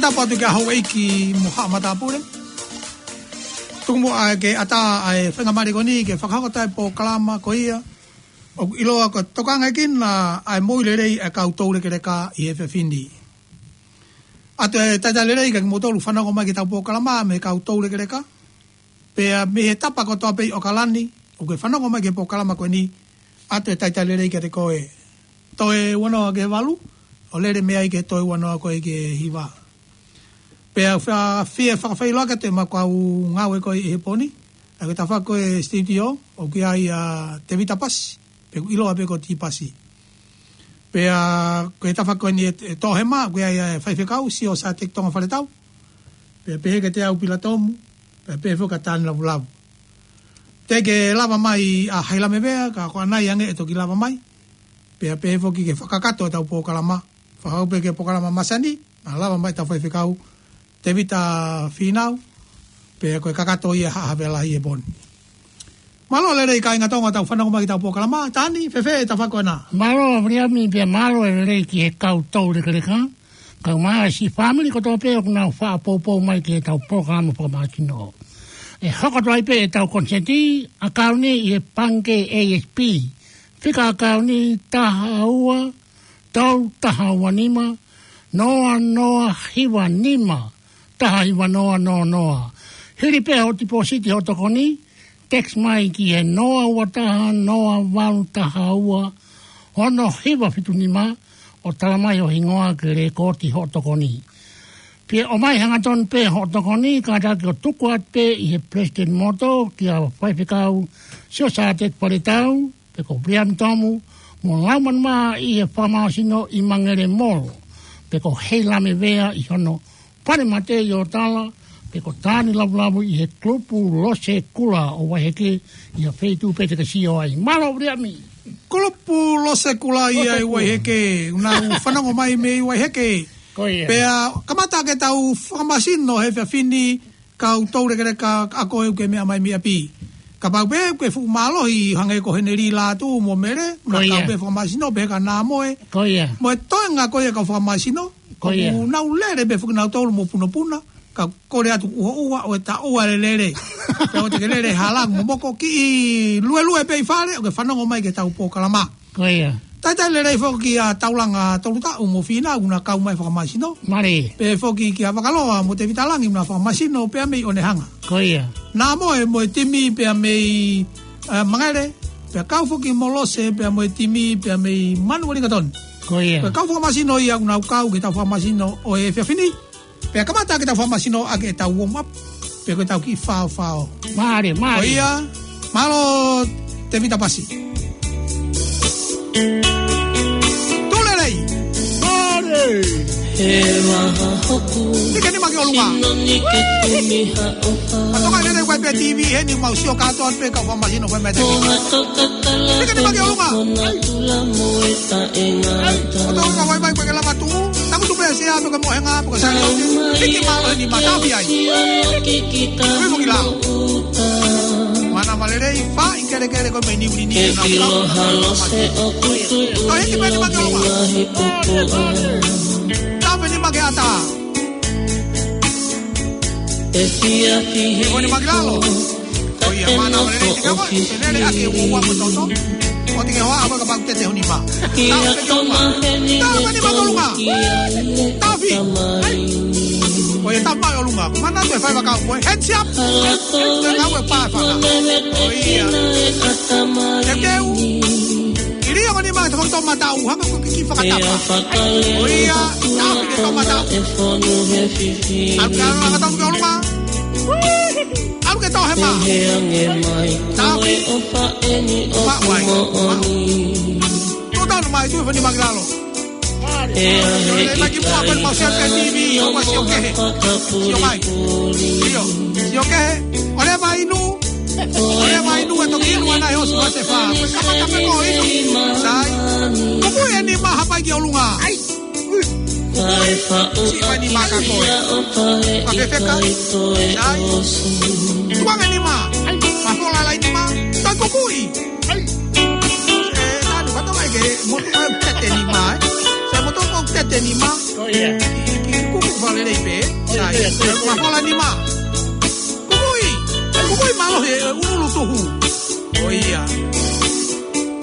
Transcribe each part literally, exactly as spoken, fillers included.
Tapu atu ki he houʻeiki mo haʻa matāpule. Tuku muʻa ke ʻatā ʻa e faingamālie ko eni ke fakahoko atu e polokalama ko ia ʻoku ʻiloa ko e Tokangaʻekina ʻa e Moʻui Lelei ʻa e Kau Toulekeleka ʻi he efiafi ni. ʻOatu e talitali lelei kiate kimoutolu ʻoku fanongo mai ki heʻetau polokalama mei he Kau Toulekeleka. Pea mei he tapa kotoa pē ʻi ʻAokalani ʻoku ke fanongo mai ki he polokalama ko eni, ʻoatu e talitali lelei kiate koe. Toe ua noa ki he valu, ʻo lele mei ai ki he toe ua noa ko ē ki he hiva. Pea ʻoku ou fie fakafeʻiloaki atu ʻi heʻemau kau ngāue ko ē ʻi he pō ni, ʻa ia ko e tafaʻaki ko ē studio, ʻoku ʻi ai ʻa Tevita Pasi, pe ʻoku ʻiloa pē ko Tipasi. Pea ko e tafaʻaki ko eni ʻe, ʻe Tohema, ʻoku ʻi ai ʻa e faifekau, Siosiate Tonga Faletau. Pea pehē kiate au Pila Tomu, pea pehē foki kia Tani Lavulavu. Teʻeki ke lava mai ʻa Hailame Vea, ka ko ʻanai ange ʻe toki lava mai. Pea pehē foki ki he fakakakato ʻetau polokalama. Fakahoko pē ki he polokalama masani, naʻa lava mai ʻetau faifekau, Tevita Fīnau, pea ko e kakato ia ʻa Haʻa Havea Lahi he pō ni. Mālō e lelei kāinga Tonga ʻoku tau fanongo mai ki heʻetau polokalama, Tani, fēfē e tafaʻaki ko ena? Mālō Viliami, pea mālō e lelei ki he Kau Toulekeleka, kae ʻumaʻā e siʻi fāmili kotoa pē ʻoku nau faʻa poupou mai ki heʻetau polokalama fakamāsino. ʻE hoko atu ai pē ʻetau konisēti, ʻakauni ʻi he Pangikē A S B, fika ʻakauni taha ua, tolu taha ua nima, noa noa hiva nima, taha hiva noa noa noa. Hili pē hoʻo tipōsiti hoʻo tokoni, text mai ki he noa ua taha noa valu taha ua ono hiva fitu nima, ʻo tala mai ho hingoa ke lēkooti hoʻo tokoni. Pea ʻomai hangatonu pē hoʻo tokoni, kātaki ʻo tuku atu pē ʻi he Palesiteni Motu kia Faifekau Siosiate Faletau, pe ko Viliami Tomu, mo Laumanu Mā ʻi he Fakamāsino ʻi Mangelemolo, pe ko Heilame Vea ʻi hono fale mate ʻi ʻOtala, pe ko Tani Lavulavu ʻi he Kulupu Lose Kula ʻo Vaiheke ʻi ha feituʻu pē te ke sio ai. Mālō Viliami. Kulupu Lose Kula ia ʻi Vaiheke, ʻoku nau fanongo mai mei Vaiheke. Ko ia. Pea kamata ke tau fakamāsino he efiafi ni, Kau Toulekeleka, ʻa koe ʻoku ke meʻa mai mei ʻapi. Kapau pē ʻoku ke fuʻu mālohi hangē ko Heneli Lātū mo Mele, ko ia, kau pē fakamāsino pē ka nā moe. Ko ia. Mo e toenga ko ia kau fakamāsino, ko ia, ʻoku nau lele pē foki nautolu mo punapuna, ka kole atu ʻuhoʻuha ʻo e taʻua lelele. Pea ʻoua te ke lele hala mo moko, kiʻi luelue pē ʻi fale, ʻo ke fanongo mai ki heʻetau polokalama. Ko ia. Talitali lelei foki kia Taulanga Tolutaʻu mo Fīnau ʻoku na kau mai fakamāsino. Mālie. Pea foki kia Vakaloa mo Tevita Langi ʻoku na fakamāsino pea mei ʻOnehunga. Ko ia. Nā moe mo e timi pea mei, eh, Mangele. Pea kau foki mo Lose pea mo e timi pea mei Manuʻa Lingatoni. Ko ia. Pea kau fakamāsino ia ʻoku nau kau ki heʻetau fakamāsino ʻo e efiafi ni. Pea kamata ke tau fakamāsino ʻaki ʻetau warm up, pe ko ʻetau kiʻi faofao. Mālie, mālie. Ko ia, mālō Tevita Pasi. Tuʻu lelei. Mālie. He maha hoku. Nike nima ki ʻolunga. Sino nike kumi ha ʻofa. Patoka lelei ʻoku ʻi ai pē T V heni mau sio kātoa pē kau fakamāsino ko e mete. Ko ha toka kala. Nike nima ki ʻolunga. Ko na tula mo e taʻengata. Ko tau ka wai mai ko e lava tuʻu. Tamu tu pē se a pē ko Mohenga, pē ko Sailote. Hiki mālohi ni matafi ai. Kui mo ki lao. Mana malelei, fai kelekele ko mei ni uni ni. E na ilo halo se o kutu. Ko hiki pē ni make ʻolunga. Tafe ni make ata. E fia fihi. Ko ni make lalo. Ko ia, mana malelei, te ke ʻoua, te lele ake ua ua mo toto. ʻOua te ke hoa, ʻoua kapau te te honi ma. Tau pe ke ʻolunga. Tau pe ni ma ʻolunga. Tafi. Ko ia, tau pe ʻolunga. Mana tu e fai vakau ko e. Heads up. Te ngau e pa fana. Ko ia. Te ke u. ʻIlio ko ni ma, te fai tō mata u, hanga ko kiki fakatapa. Ko ia, tafi ke tō mata. ʻAlu ke ʻalu anga tau ke ʻolunga. ʻAlu ke tō he ma. Tafi. Ma wai. Tō tanu mai, tu e fani ma ki lalo. Lele mai ki mua, pali mau sio ke T V, ʻo ma sio kehe. Sio mai. Sio. Sio kehe. ʻOle mai nu. ʻOle mai nu, e toki inu ana e osu ma se fa. Kamata pe ko inu. Sai. Kuku e ni ma hapai ki ʻolunga. Ai. Siʻi fai ni ma ka koe. Ka fefeka. Sai. Tuanga ni ma. Ma fola lai ni ma. Toi kukui. Ai. E, tanu, kato mai ke, motu mai tete ni ma, e. Se motu ko tete ni ma. Ko ia. Ki, ki, kuku Lelei pē, sai. Mafola nima. Kukui. Kukui mālohi e ʻulu tuhu. ʻO ia.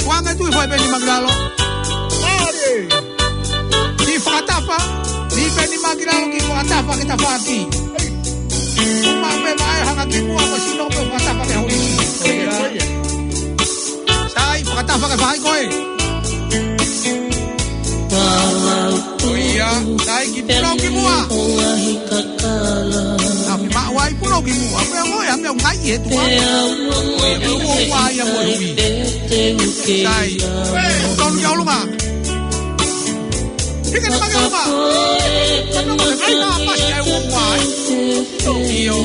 Kuanga tui fai pē nima ki lalo. Mālie. Ki fakatafa. Ni pē nima ki lalo ki fakatafa ke tafaʻaki. Uma pē mai hanga ki muʻa ko sino pē fakatafa ke holi. ʻO ia. Sai, fakatafa ke fai koe. ʻO ia, sai ki pulau ki muʻa. Afi maʻu ai pulau ki muʻa. Pea ʻoe, ame o ngai e tua. ʻO ia, pea ʻoe ua ia mo e hui. Sai, tonu ki ʻolunga. Hika ni maki ʻolunga. Tanu maki ai na pasi ai ua ua ai. ʻIo.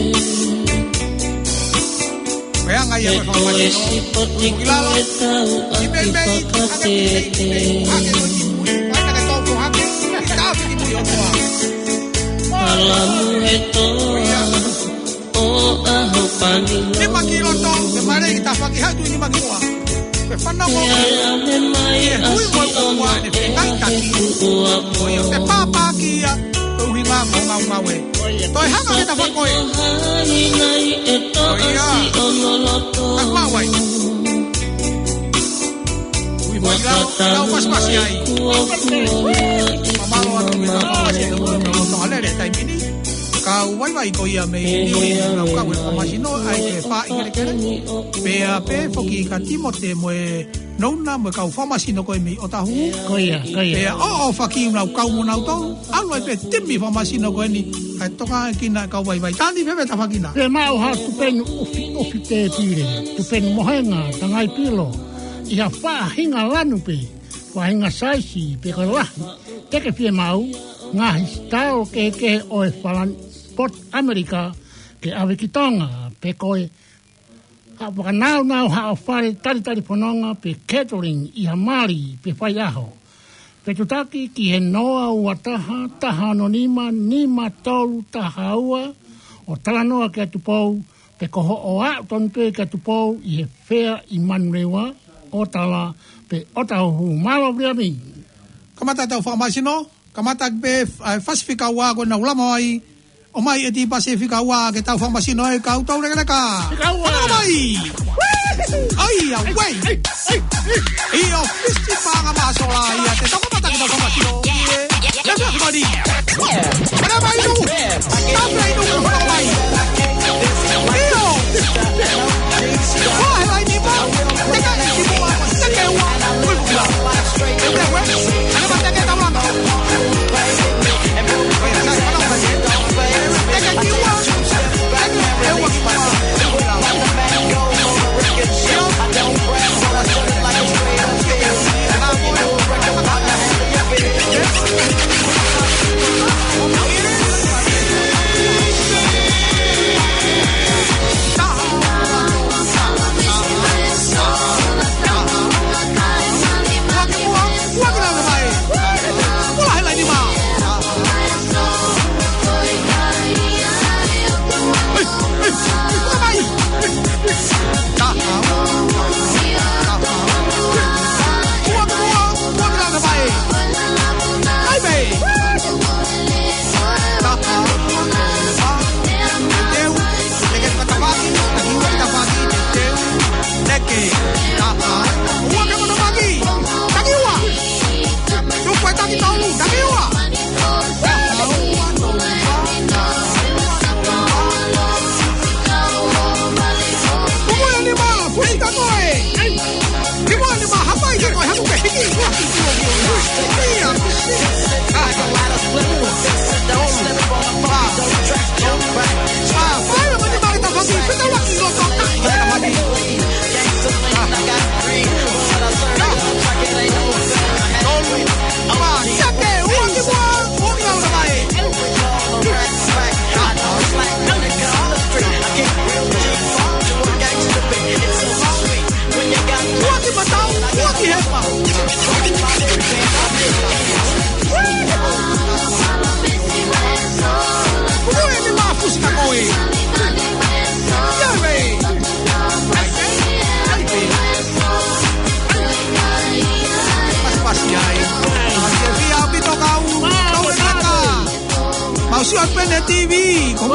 Pea ngai ia ko e fakamasino. Ki lalo. Ki pei pei. Hake ki pei pei. Hake ko ki mui. Hake ke tau ko hake. Ki tafi ki mui o tua. Alamu e toa o ʻaho pani. Nima ki loto. Ke mare ki tafa ki hatu nima ki mua. Ke fanongo. Ke hui mo e ua ne fengai taki. ʻO ia. Ke pāpā ki ia. Ke uhinga ko ngau ngau e. Toe hanga ke tafa koe. ʻO ia. Ka kuā wai. Ui, ui, lau, lau pasipasi ai. Mamalo atu ki lau pasipasi ai, lau tonga lele taimi ni. Kau vaivai ko ia mei ni, lau kau e fakamasino, ʻai ke fai kelekele. Pea pē foki ka Timote mo e Nouna mo e kau fakamasino ko ē mei ʻOtahuhu. Ko ia, ko ia. Pea ʻoʻo faki lau kau mo nau tau. ʻAlu ai pē timi fakamasino ko eni, kae toka kina kau vaivai. Tani fēfē tafakina? Pea maʻu ha tupenu ʻufi, ʻufi tēpile, tupenu mohenga, tangai pilo, ʻi ha faʻahinga lanu pē, faʻahinga saisi, pe ko e lahi, te ke fiemaʻu, ngaahi sitao kehekehe ʻo e falani, poti ʻAmelika, ke ʻave ki Tonga, pe ko e ha fakanaunau haʻo fale talitali fononga pe catering ʻi ha mali pe faiʻaho. Fetutaki ki he noa ua taha, taha ono nima, nima tolu taha ua, ʻo talanoa kia Tupou, pe ko hoʻo aʻu tonu pē kia Tupou ʻi he Fea ʻi Manurewa, ʻo Tala, pe ʻOtahuhu. Mālō Viliami. Kamata tau fakamasino. Kamata pē, ʻa e fasi fika ua ko ena ulama ai. ʻOmai e tipasi fika ua ke tau fakamasino ai kau tau lekeleka. Fika ua. Fakamasino mai. ʻAi, ʻa, wei. ʻI ʻōfisi paʻanga māsola ia te tau kamata ke tau fakamasino. Ia, ia, ia, ia, ia. Mana mai nu. Tau mai nu ke fakamasino mai. ʻIo. Ko e laini pau. Teka i ki mua. Teka ua. Ui, ui, ui.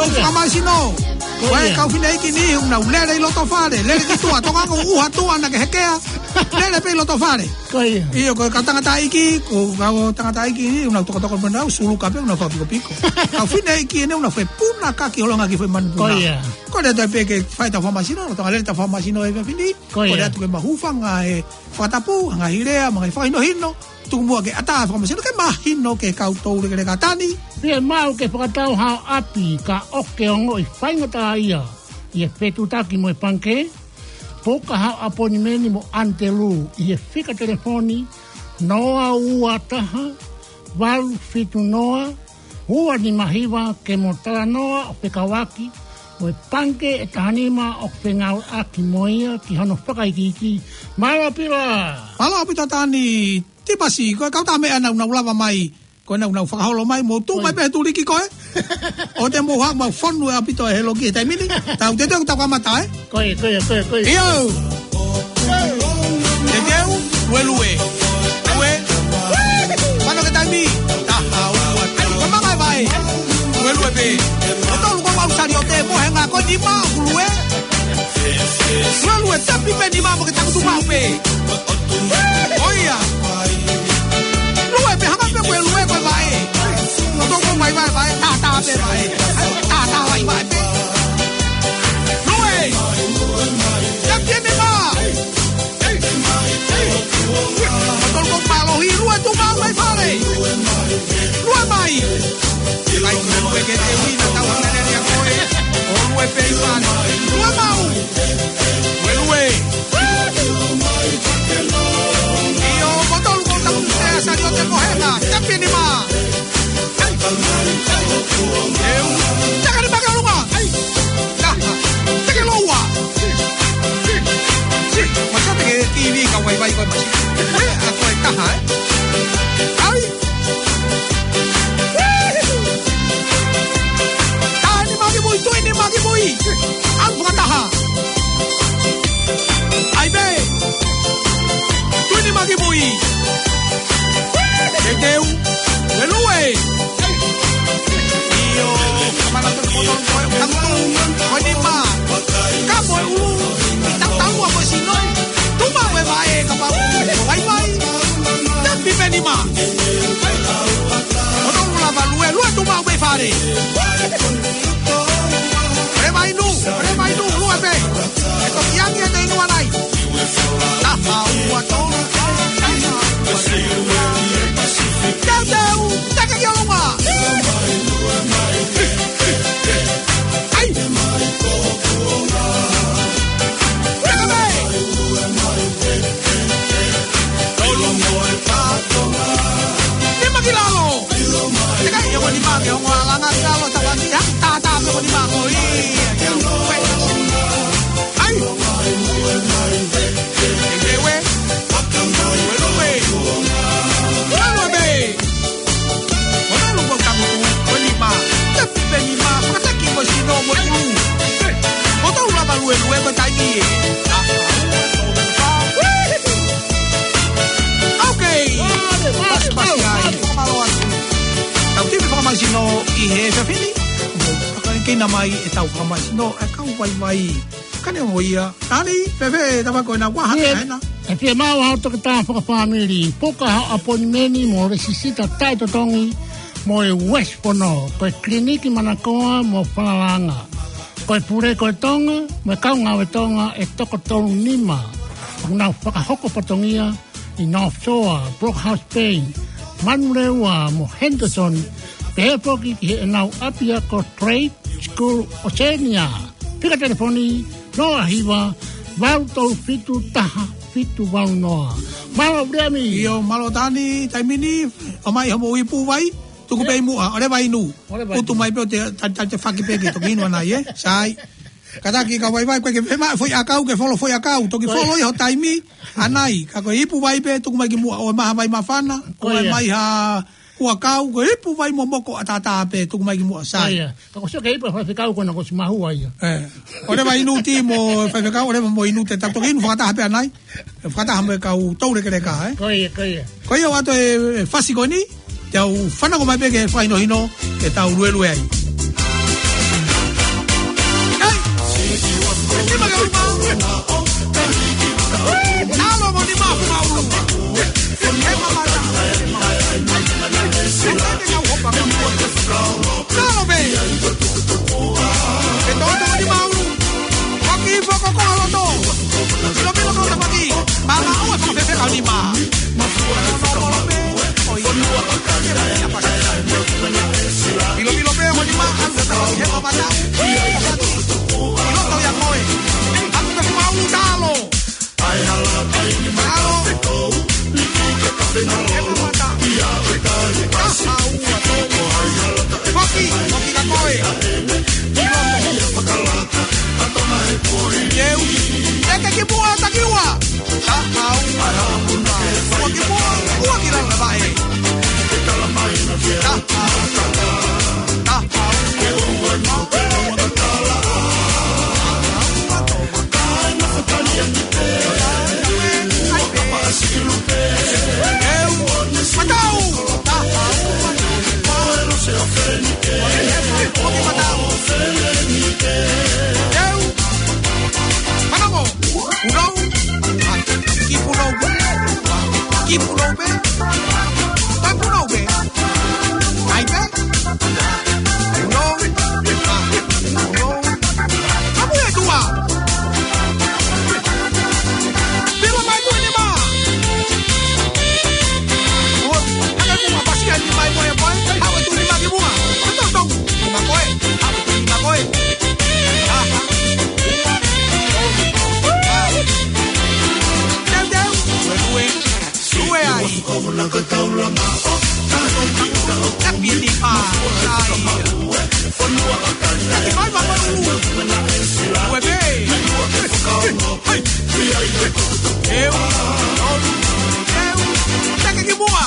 Ko ia. Fakamāsino. Ko ia. Ko e kau fineʻeiki ni, ʻoku nau lele ʻi loto fale. Lele ki tuʻa, tokanga ʻuha tuʻa naʻa ke hekea. Lele pē ʻi loto fale. Ko ia. ʻIo, ko e kau tangataʻeiki, ko e kau tangataʻeiki ni, ʻoku nau tokotoko pē nau, suluka pē, ʻoku nau fakapikopiko. Kau fineʻeiki ni, ʻoku nau fepuna kaki ʻo longa ki he foʻi manu puna. Ko ia. Ko e lele pē ke fai ʻetau fakamāsino, ʻo tokanga lele ʻetau fakamāsino ʻi he efiafi ni. Ko ia. Ko e lele atu ke mau hūfanga he fakatapu, ngaahi lea, mo e ngaahi fakahinohino. Tuku muʻa ke ʻatā e fakamāsino ke mahino ki he kau toulekeleka, Tani. Fiemaʻu ke fakatau haʻo ʻapi ka ʻoku ke ongoʻi faingataʻaʻia ʻi he fetuʻutaki mo e pangikē. Puka haʻo ʻaponimeni mo ʻAnitelū ʻi he fika telefoni noa ua taha, valu fitu noa, ua nima hiva ke mo talanoa ʻo fekauʻaki mo e pangikē ʻe taha nima ʻoku fengāueʻaki mo ia ki hono fakaikiiki. Mālō ʻaupito. Mālō ʻaupito Tani. Tipasi, ko e kau tā meʻa naʻa nau lava mai, ko e naʻa nau fakaholo mai, mou tuʻu mai pē he tuliki ko ē. ʻOua te mou haʻu, mau fonu ʻaupito he loki he taimi ni. Tau teuteu ke tau kamata, ē? Ko ia, ko ia, ko ia, ko ia. ʻIo. Teuteu, luelue. Lue. Fano ke taimi. Taha, ua, tolu, ko e manga e vaʻe. Luelue pē. Ko tolu ko mau sali ʻo te mo he ngā ko e nima ʻoku lue. Luelue, tapi pē nima mo ke takutu mau pē. ʻO ia. Lue pē hanga pē ko e lue ko e vaʻe. Ko toko mai vaʻe, vaʻe, tātā pē vaʻe. Tātā vaʻe, vaʻe pē. Lue. Tapi pē nima. Ko toko mālohi, lue tuʻu mau mai fale. Lue mai. Kai ko e lue ke te uina tau hanga lele ʻa koe. ʻO lue pē i fale. Lue mau. Lue, lue. ʻIo, ko tolu ko taku te a sali ʻo te mohenga. Tapi nima. Eu. Taka nima ke ʻolunga. Ai. Taha. Teke loua. Masa teke T V ka vaivai ko e masi. Ē, a ko e taha, ē. Ai. Taha nima ki mui, tui nima ki mui. Au fakataha. Ai pē. Tui nima ki mui. Teuteu. Lue, lue. ʻIo, kamana tu ko tolu ko e takutu. Ko e nima. Ka mo e ʻulu. Tau tau a ko e sino. Tuʻu mau e vaʻe kapau ʻoku vaivai. Tapi pē nima. Ko tolu lava lue, lue tuʻu mau mei fale. Lue mai nu, lue mai nu, lue pē. ʻE toki angi ʻe te inu anai. Taha, ua, tolu, taha, ua, tolu. Teuteu, teke ki ʻolunga. Ai. Teke mai. Tolu mo e pato. Nima ki lalo. Teka ia ko nima ke ongo alanga ki lalo tavani. Ia tātā pe ko nima ko ia. Ai. Ewe. Ewe. Lalo be. Ko tolu ko taku, ko nima, tapi pē nima, fakataki mo sino mo ʻulu. Ko tolu lava lue, lue ko e taimi ē. Ok. Pasi, pasi ai, fakamālō atu. Tau timi fakamāsino ʻi he efiafi ni. Mo fakakina mai ʻetau fakamāsino, ʻa e kau vaivai. Kane mo ia. Tani, fēfē, tapa ko ena kua hake ena. ʻE fiemaʻu haʻo toketā fakafāmili, puka haʻo ʻaponimeni mo lēsisita taʻetotongi mo e West Fono, ko e kiliniki manakoa mo falalanga. Ko e pule ko e Tonga, mo e kau ngāue Tonga ʻe toko tolu nima. ʻOku nau fakahoko fatongia ʻi North Shore, Brooke House Bay, Manurewa mo Henderson, pehē foki ki heʻenau ʻapiako Trade School Oceania. Fika telefoni, noa hiva, valu tolu fitu, taha fitu valu noa. Mālō, Viliami. ʻIo, mālō Tani, taimi ni, ʻomai hoʻomou ipu vai, tuku pē ʻi muʻa, ʻo leva inu. ʻO leva inu. Utu mai pē ʻo te, ta, ta, te faki pē ke toki inu anai, ē? Sai. Kātaki kau vaivai, ko e ke fiemaʻu foʻi ʻakau, ke folo foʻi ʻakau, toki folo ʻi ho taimi, anai, ka ko e ipu vai pē, tuku mai ki muʻa, ʻo e maha vai māfana, ʻo e mai ha, huʻakau, ko e ipu vai momoko ʻataʻatā pē, tuku mai ki muʻa, sai. Ka ko sio ke ipu faifekau ko ena ko si mahu ai. ʻE. ʻO leva inu ti mo faifekau, ʻo leva mo inu te tau toki inu fakataha pē anai. Fakataha mo e kau toulekeleka, ē? Ko ia, ko ia. Ko ia ʻoatu e, e fasi ko eni, te u fanongo mai pē ki he fakahinohino, ke tau luelue ai. Nima. Nima, nima, nima. Oi. Pilo, pilo, pē, nima. Anga, anga, anga, anga. Pilo, tau ia koe. Anga, anga, anga, talo. Talo. Anga, anga, anga. Taha ua, tolu. Foki, foki ka koe. Pilo. Teu. Teke ki muʻa, taki ua. Taha ua, taha ua. Ua ki muʻa, ua ki lalo, vaʻe. Taha ua, taha ua. Teu. Matau. Taha ua, taha ua. Ua ki matau. Teu. Fanongo. Pulou. Kiʻi pulou. Kiʻi pulou pē. Kiʻi pulou pē. ʻAi pē. Pulou. Pulou. Kapu e tua. Pilo mai mo e nima. Ua. Hanga mo e pasi ai mai mo e poi. Haʻu e tuʻi nima ki muʻa. Tau, tau. Nima koe. Haʻu e tuʻi nima koe. Aha. Teu, teu. Lue, lue. Lue ai. Tapi ni pa. Sai. Taki mai ma pa ulu. Lue pē. Hai. Eu. Eu. Teke ki muʻa.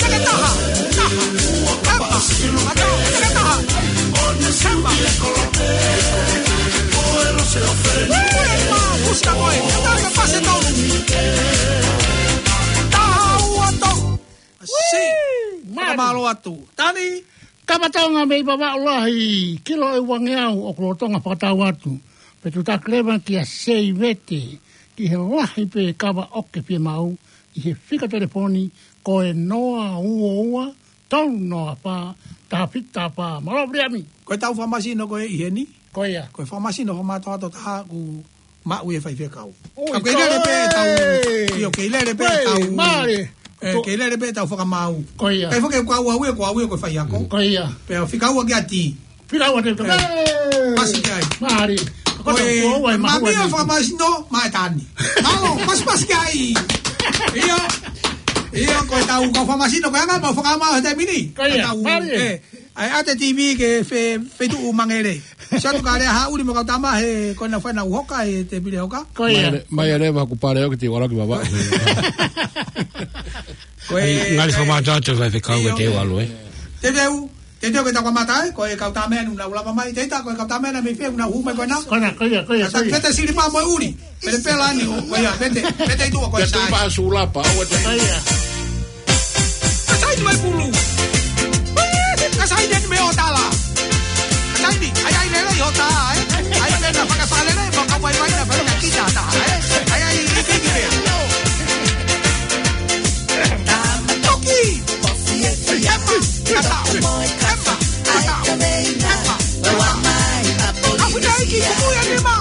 Teke taha, taha. Ema, ema, teke taha. Ema. Ema, pusi ka koe. Ema, ka pasi tonu. Taha ua tolu. Sai. Mālō atu. Tani. Kapa Tonga mei Vavaʻu Lahi, kilo ʻe uangeau ʻoku lolotonga fakatau atu. Pea tuʻutaki leva kia Seivete, ki he lahi pē kava ʻoku ke fiemaʻu, ʻi he fika telefoni, ko e noa ua ua, tolu noa fā, taha fitu taha fā. Mālō Viliami. Ko e tau fakamasino ko ē ʻi heni. Ko ia. Ko e fakamasino fakamātoato taha ʻoku maʻu ʻe he faifekau. Ui, ka kei lele pē tau. Io, kei lele pē tau. Mālie. ʻE, kei lele pē tau fakamaau. Ko ia. Pea foki ko au au ia, ko au ia ko e faiako. Ko ia. Pea fika ua ki ati. Fika ua te. Pasi ki ai. Mālie. Ko e, ko e, ma mia fakamasino, ma e tani. Mālō, pasi, pasi ki ai. Io. Io, ko e tau kau fakamasino, ko e anga mau fakamaau he taimi ni. Ko ia. Mālie. ʻAi ʻa e T V ke fe-, feituʻu mangele. Satu kale ha uli mo kau tama he ko ena fana uhoka he te pile hoka. Ko ia. Mai, mai leva haku pale ʻoku te wala ki vava. Ko e, ngali fakamātoato faifekau e te walu, ē. Te teu, te teu ke tau kamata, ē, ko e kau tama ʻanenai ʻoku nau lava mai, te ita ko e kau tama ʻanenai mei fē ʻoku nau hū mai ko ena. Ko ena, ko ia, ko ia, ko ia. Pete sili pā mo e uli. Pete pela ni, ʻo, ko ia, pete, pete i tua ko e sai. Pete pā sulapa, ʻo te. Ko ia. Ka sai ni mai pulu. Ka sai ni mai ʻo tala. Ka sai ni, ʻai, ʻai lele ʻo tā, ē. ʻAi lele na fakafakalele, mo ka mai mai na fakakiʻi tā, ē. ʻAi, ʻai, ʻai, ʻai, ʻai. Toki. Ema, mata, ema, mata, ema, mata. Afu te aiki, kumu ia nima.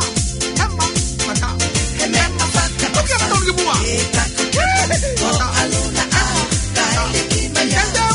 Ema, mata, ema, mata. Toki ema tonu ki muʻa. Mata, ema, mata.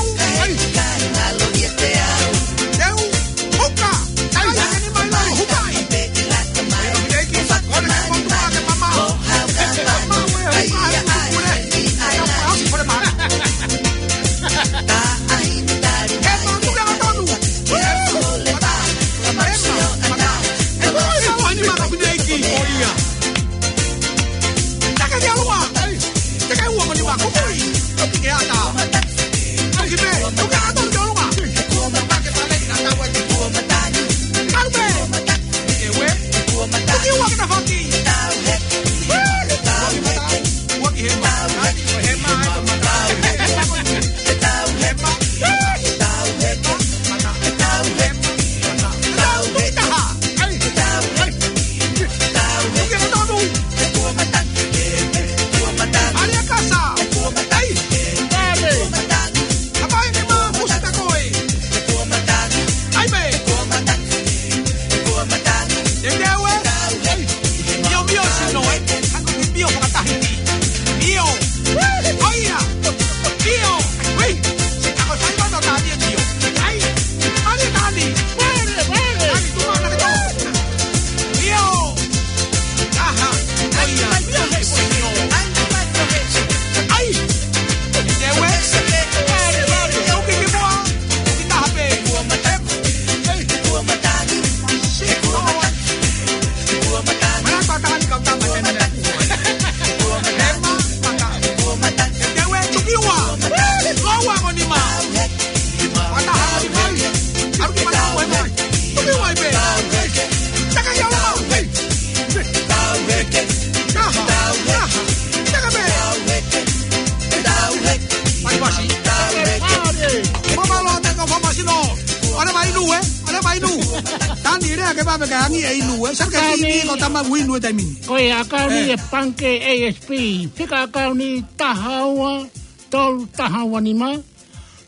Pea ka angi e inu, ē. Sa ka ʻakauni. Timi ko tama inu e taimi ni. Ko e ʻakauni ʻe pangikē A S P. Fika ʻakauni taha ua, tolu taha ua nima,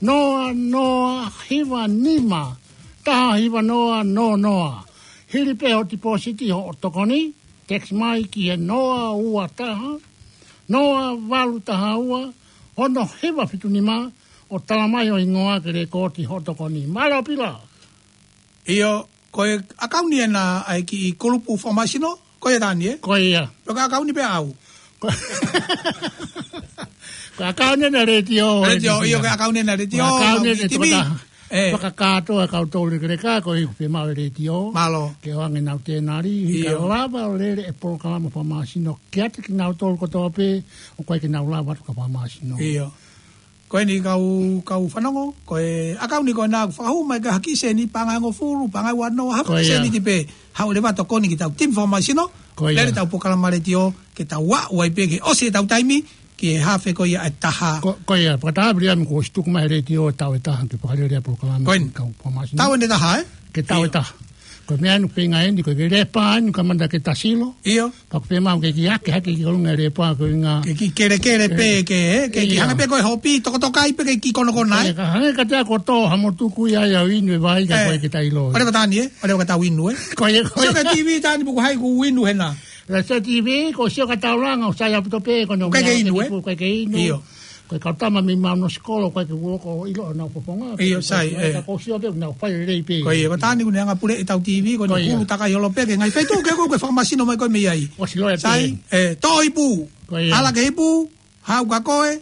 noa noa hiva nima, taha hiva noa noa noa. Hili pē hoʻo tipōsiti hoʻo tokoni, text mai ki he noa ua taha, noa valu taha ua, ono hiva fitu nima, ʻo tala mai ho hingoa ke lēkooti hoʻo tokoni. Mālō Pila. ʻIo, ko e ʻakauni ena ʻa e kiʻi kulupu fakamāsino, ko ia Tani, ē? Ko ia. Pea ko e ʻakauni pē ʻaʻau. Ko, ko e ʻakauni ena letiō, Letiō, ʻio, ko e ʻakauni ena letiō, Ko e ʻakauni ena timi. Fakakātoa e kau tolu lekeleka, ko e ʻuhinga pē maʻu e letiō. Mālō. Ke ʻoange ʻenau tenari, ʻio, ka lava ʻo lele e polokalama fakamāsino kiate kinautolu kotoa pē, ʻoku ʻikai ke nau lava atu ka fakamāsino. ʻIo. Ko eni kau, kau fanongo, ko e ʻakauni ko ena ʻoku fakahū mai ki ha kiʻi sēniti, paʻanga ʻe hongofulu, paʻanga ʻe uanoa, ha kiʻi sēniti pē, haʻu leva ʻo tokoni ki heʻetau timi fakamāsino, lele ʻetau polokalama letiō, ke tau aʻu ai pē ke ʻosi ʻetau taimi, ki he hafe ko ia ʻe taha. Ko, ko ia, fakataha Viliami kuo ʻosi tuku mai he letiō ʻa e tau ʻe taha, ke fakalele ʻa e polokalama, ko eni, ki he kau fakamāsino. Tau ʻe taha, ē? Ke tau ʻe taha. Ko e meʻa ʻeni ʻoku feinga eni, ko e ke lepa eni, ka manda ke tasilo. ʻIo. Pea ʻoku pehē mai ke kiʻi ake hake ki ʻolunga e lepa, ko e ʻuhinga. Ke kiʻi kelekele pē, ke, ē, ke kiʻi hanga pē ko e hopi, tokotokai pē ke kiʻi konokona, ē? Ka hanga ka te ako tō, ha mo tuku ia ia inu e vai, ka ko e ke tailo. ʻOleva Tani, ē? ʻOleva ka tau inu, ē? Ko ia, ko ia. Sio ki he T V Tani, puku hai kuo inu hena. Sio ki he T V, ko sio ka taulanga, ʻoku sai ʻaupito pē, ko e ʻikai ke inu, ē? ʻIkai ke inu. ʻIo. Ko e kau tama mei Mauno Sikolo, ʻikai ke u ʻilo ʻo ʻilo ʻenau fofonga. ʻIo, sai, ē. Ka ko sio pē, nau fai lelei pē. Ko ia, ʻoku Tani ʻoku ne anga pule ʻetau T V, ko e ʻuhinga ʻoku takahi holo pē, ke ngaahi feituʻu ke ko e fakamāsino mai ko e meʻa ai. ʻOsi loa pē. Sai, ē, Toʻo Ipu. Ko ia. ʻAla ki he ipu, haʻu ka ko e,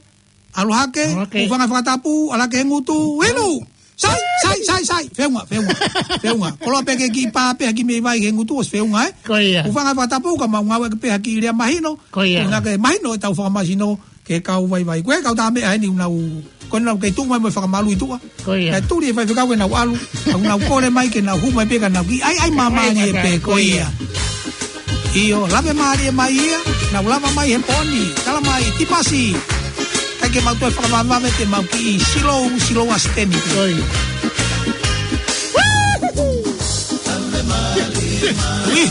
ʻalu hake, ʻalu hake. Hūfanga he fakatapu, ʻala ki he ngutu, inu! Sai, sai, sai, sai. Feʻunga, feʻunga, feʻunga. Koloa pē ke kiʻi pā pē ha kiʻi meʻi vai ki he ngutu ʻosi feʻunga, ē? Ko ia. Hūfanga he fakatapu ka mau ngāueʻaki pē ha kiʻi lea mahino. Ko ia. Ko e ʻuhinga ke mahino ʻetau fakamāsino ki he kau vaivai. Ko e kau tā meʻa eni ʻoku nau, ʻoku nau kei tuʻu mai mo e fakamalu ʻi tuʻa. Ko ia. Naʻe tuli e faifekau ke nau ʻalu, ʻoku nau kole mai ke nau hū mai pē ka nau kiʻi ʻai, ʻai māmālie pē, ko ia. ʻIo, lave mālie mai ia, nau lava mai he pō ni, tala mai, Tipasi. ʻIkai ke mau toe fakavavevave te mau kiʻi silou, silou ʻa Siteni. Ko ia. Ui,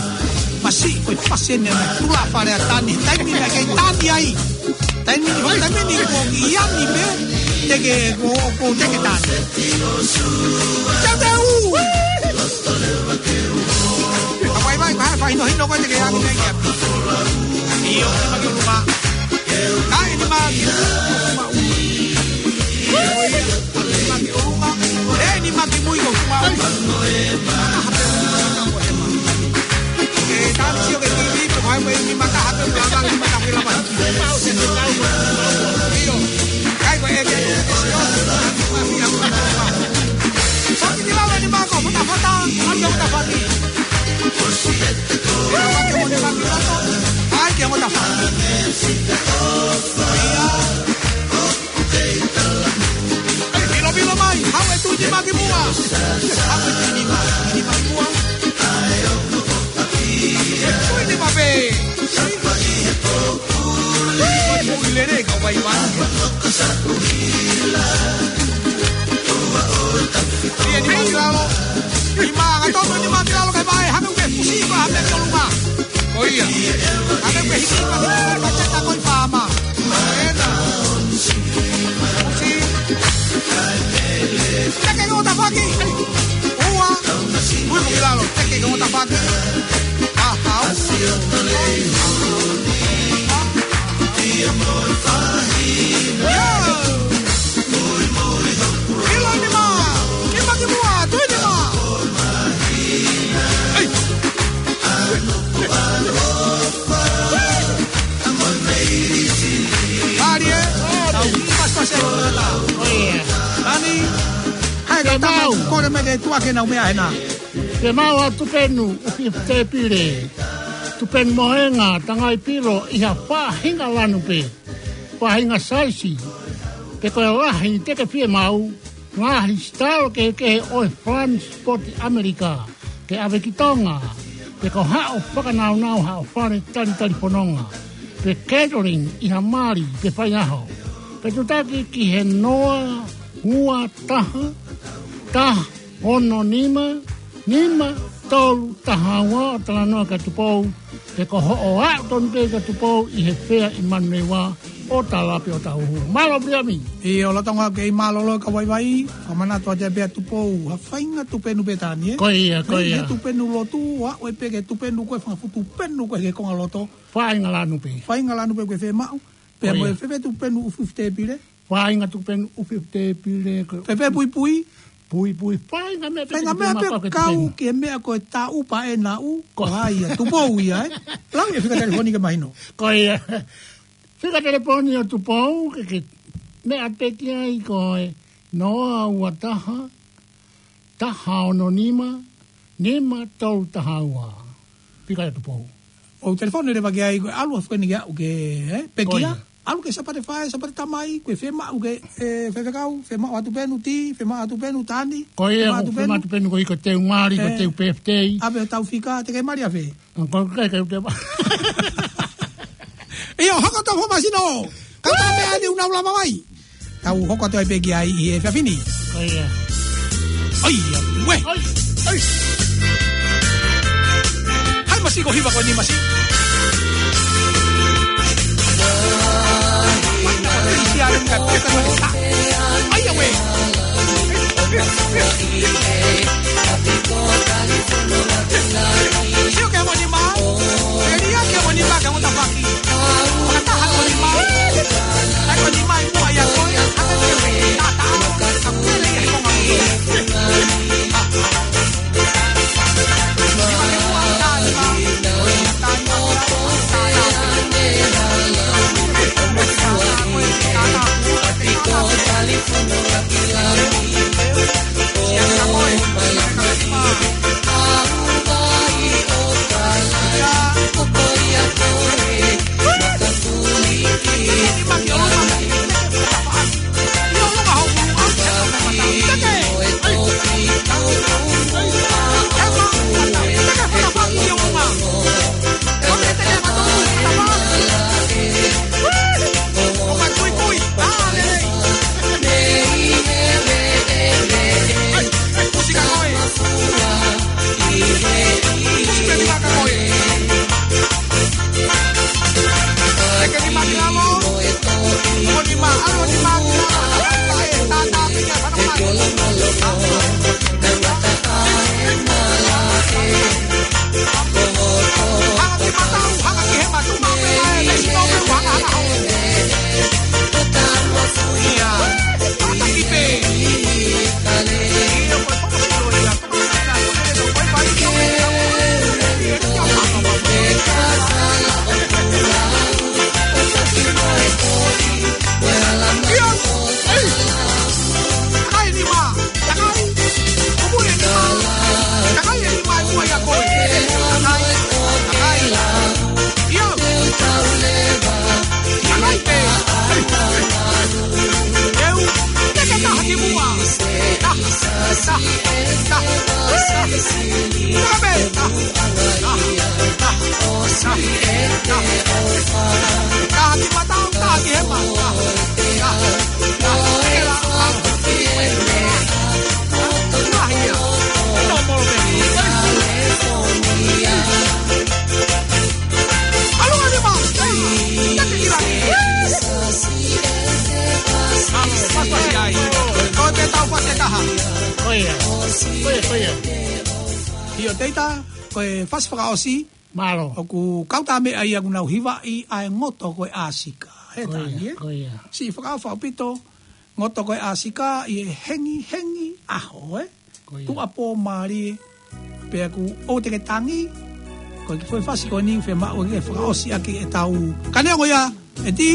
masiʻi, ko e pasi eni naʻe tula fale ʻa Tani, taimi naʻe kei tani ai. Taimi ni, taimi ni ko e kiʻi ani pē, teke, ko, ko teke tani. Tau te u! Ka vaivai, ka fai no hino ko teke ani mei kia. ʻIo, nima ki ʻolunga. Ka ʻi nima ki ʻolunga. Nima ki ʻolunga. ʻE nima ki mui ko kuma. ʻE, tau sio ki he T V, pe ko hai ko e nima taha pe ko e lava, nima taha pe lava. ʻIo. Kai ko e, e, e, Faki ki lalo ni mako, futa, futa, ʻai ke futa faki. Faki mo ni faki lalo, ʻai ke futa faki. ʻIo. ʻAi, vilo, vilo mai, haʻu e tui nima ki muʻa. Haʻu e tui nima, nima ki muʻa. Tui nima pē. Tui nima pē. Ui, lele, ka vaivai. Ia, nima ki lalo. Nima, ka tonu nima ki lalo, ka vae, hame uke fusi, ka hame ki ʻolunga. Ko ia. Hame uke hiki, ka hiki, ka teta ko i fama. Ena. Fusi. Teke ko tafaki. Ua. Ui, ki lalo. Teke ko tafaki. Aha. Ilo nima, nima ki muʻa, tui nima. Ei. Pali e, tau pasipasi e lota. Tani, hai ka tama, kole mai ke tuʻa ke nau meʻa hena. Ke mau atu penu, ufi tepile. Tupenu mohenga, tangai pilo, ʻi ha faʻahinga lanu pē. Faʻahinga saisi. Pe ko e lahi, te ke fie mau. Ngaahi sitalo kehekehe ʻo e Flying Spot ʻAmelika. Ke ʻave ki Tonga. Pe ko haʻo fakanaunau, haʻo fale talitali fononga. Pe catering, ʻi ha mali, pe faiʻaho. Pe tutaki ki he noa, ua, taha, taha, ono, nima, nima, tolu taha ua ʻo talanoa kia Tupou, he ko hoʻo aʻu tonu pē kia Tupou ʻi he fea ʻi Manuneiva ʻo tala pē ʻo tauhu. Mālō Viliami. ʻIo, lolotonga kei mālōlō ka vaivai, fakamanatu atu pē ʻa Tupou, ha faʻahinga tupenu pē Tani, ē? Ko ia, ko ia. He tupenu lotu, ʻo aʻu pē ki he tupenu ko e fanga fuʻu tupenu ko ē he konga loto. Faʻahinga lanu pē. Faʻahinga lanu pē ko e fiemaʻu. Pea ko mo ia. E fēfē tupenu ʻufiʻufi tēpile? Faʻahinga tupenu ʻufiʻufi tēpile ko e fēfē puipui? Puipui, faʻahinga meʻa pē. Faʻahinga meʻa pē kau ki he meʻa ko e taʻu pē ʻe naʻu, ko hai ia, Tupou ia, ē? Lau e fika telefoni ke mahino. Ko ia. Fika telefoni ʻo Tupou, ke, ke meʻa pē ki ai ko e noa ua taha, taha ono nima, nima tolu taha ua. Fika ia Tupou. ʻO telefoni leva ki ai, ko e ʻalu ʻa Fueni ke aʻu ke, ē, pekia. Ko ia. ʻAlu ki he Sāpate Faʻē, Sāpate Tamai, ko e fiemaʻu ke, ē, faifekau, fiemaʻu ʻa tupenu tī, fiemaʻu ʻa tupenu Tani, ko ia, fiemaʻu ʻa tupenu. Fiemaʻu tupenu ko e ʻikai ko e teu mali, ko e, ē, teu pēfitei. ʻAve ʻo tau fika, te ke mali ʻave. Ko e, ko e, ko e, ko e. ʻIo, hoko atu Fakamasino. Kau tā meʻa ni ʻoku nau lava mai. Tau hoko atu ai pē ki ai ʻi he efiafi ni. ʻOi, ē. ʻOi, ē. ʻOi, ʻoi. Hai masi ko hiva ko ni masi. ʻOi, ē. Sio ki he ko ni mā. Elia ki he ko ni mā, ki he ko ni mā. Ko ia, ko ia, ko ia. ʻIo, Teita, ko e fasi fakaʻosi. Mālō. ʻOku kau tā meʻa ia ʻoku nau hivaʻi ʻa e ngoto ko e ʻāsika. He Tani, ē? Ko ia, ko ia. Siʻi fakaʻofa ʻaupito, ngoto ko e ʻāsika ʻi he hengihengi ʻaho, ē? Ko ia. Tuʻuapō mālie, pea kuo ʻosi ke tangi, ko e kiʻi foʻi fasi ko eni fiemaʻu ke fakaʻosi ʻaki ʻetau. Ka neongo ia, ʻEti,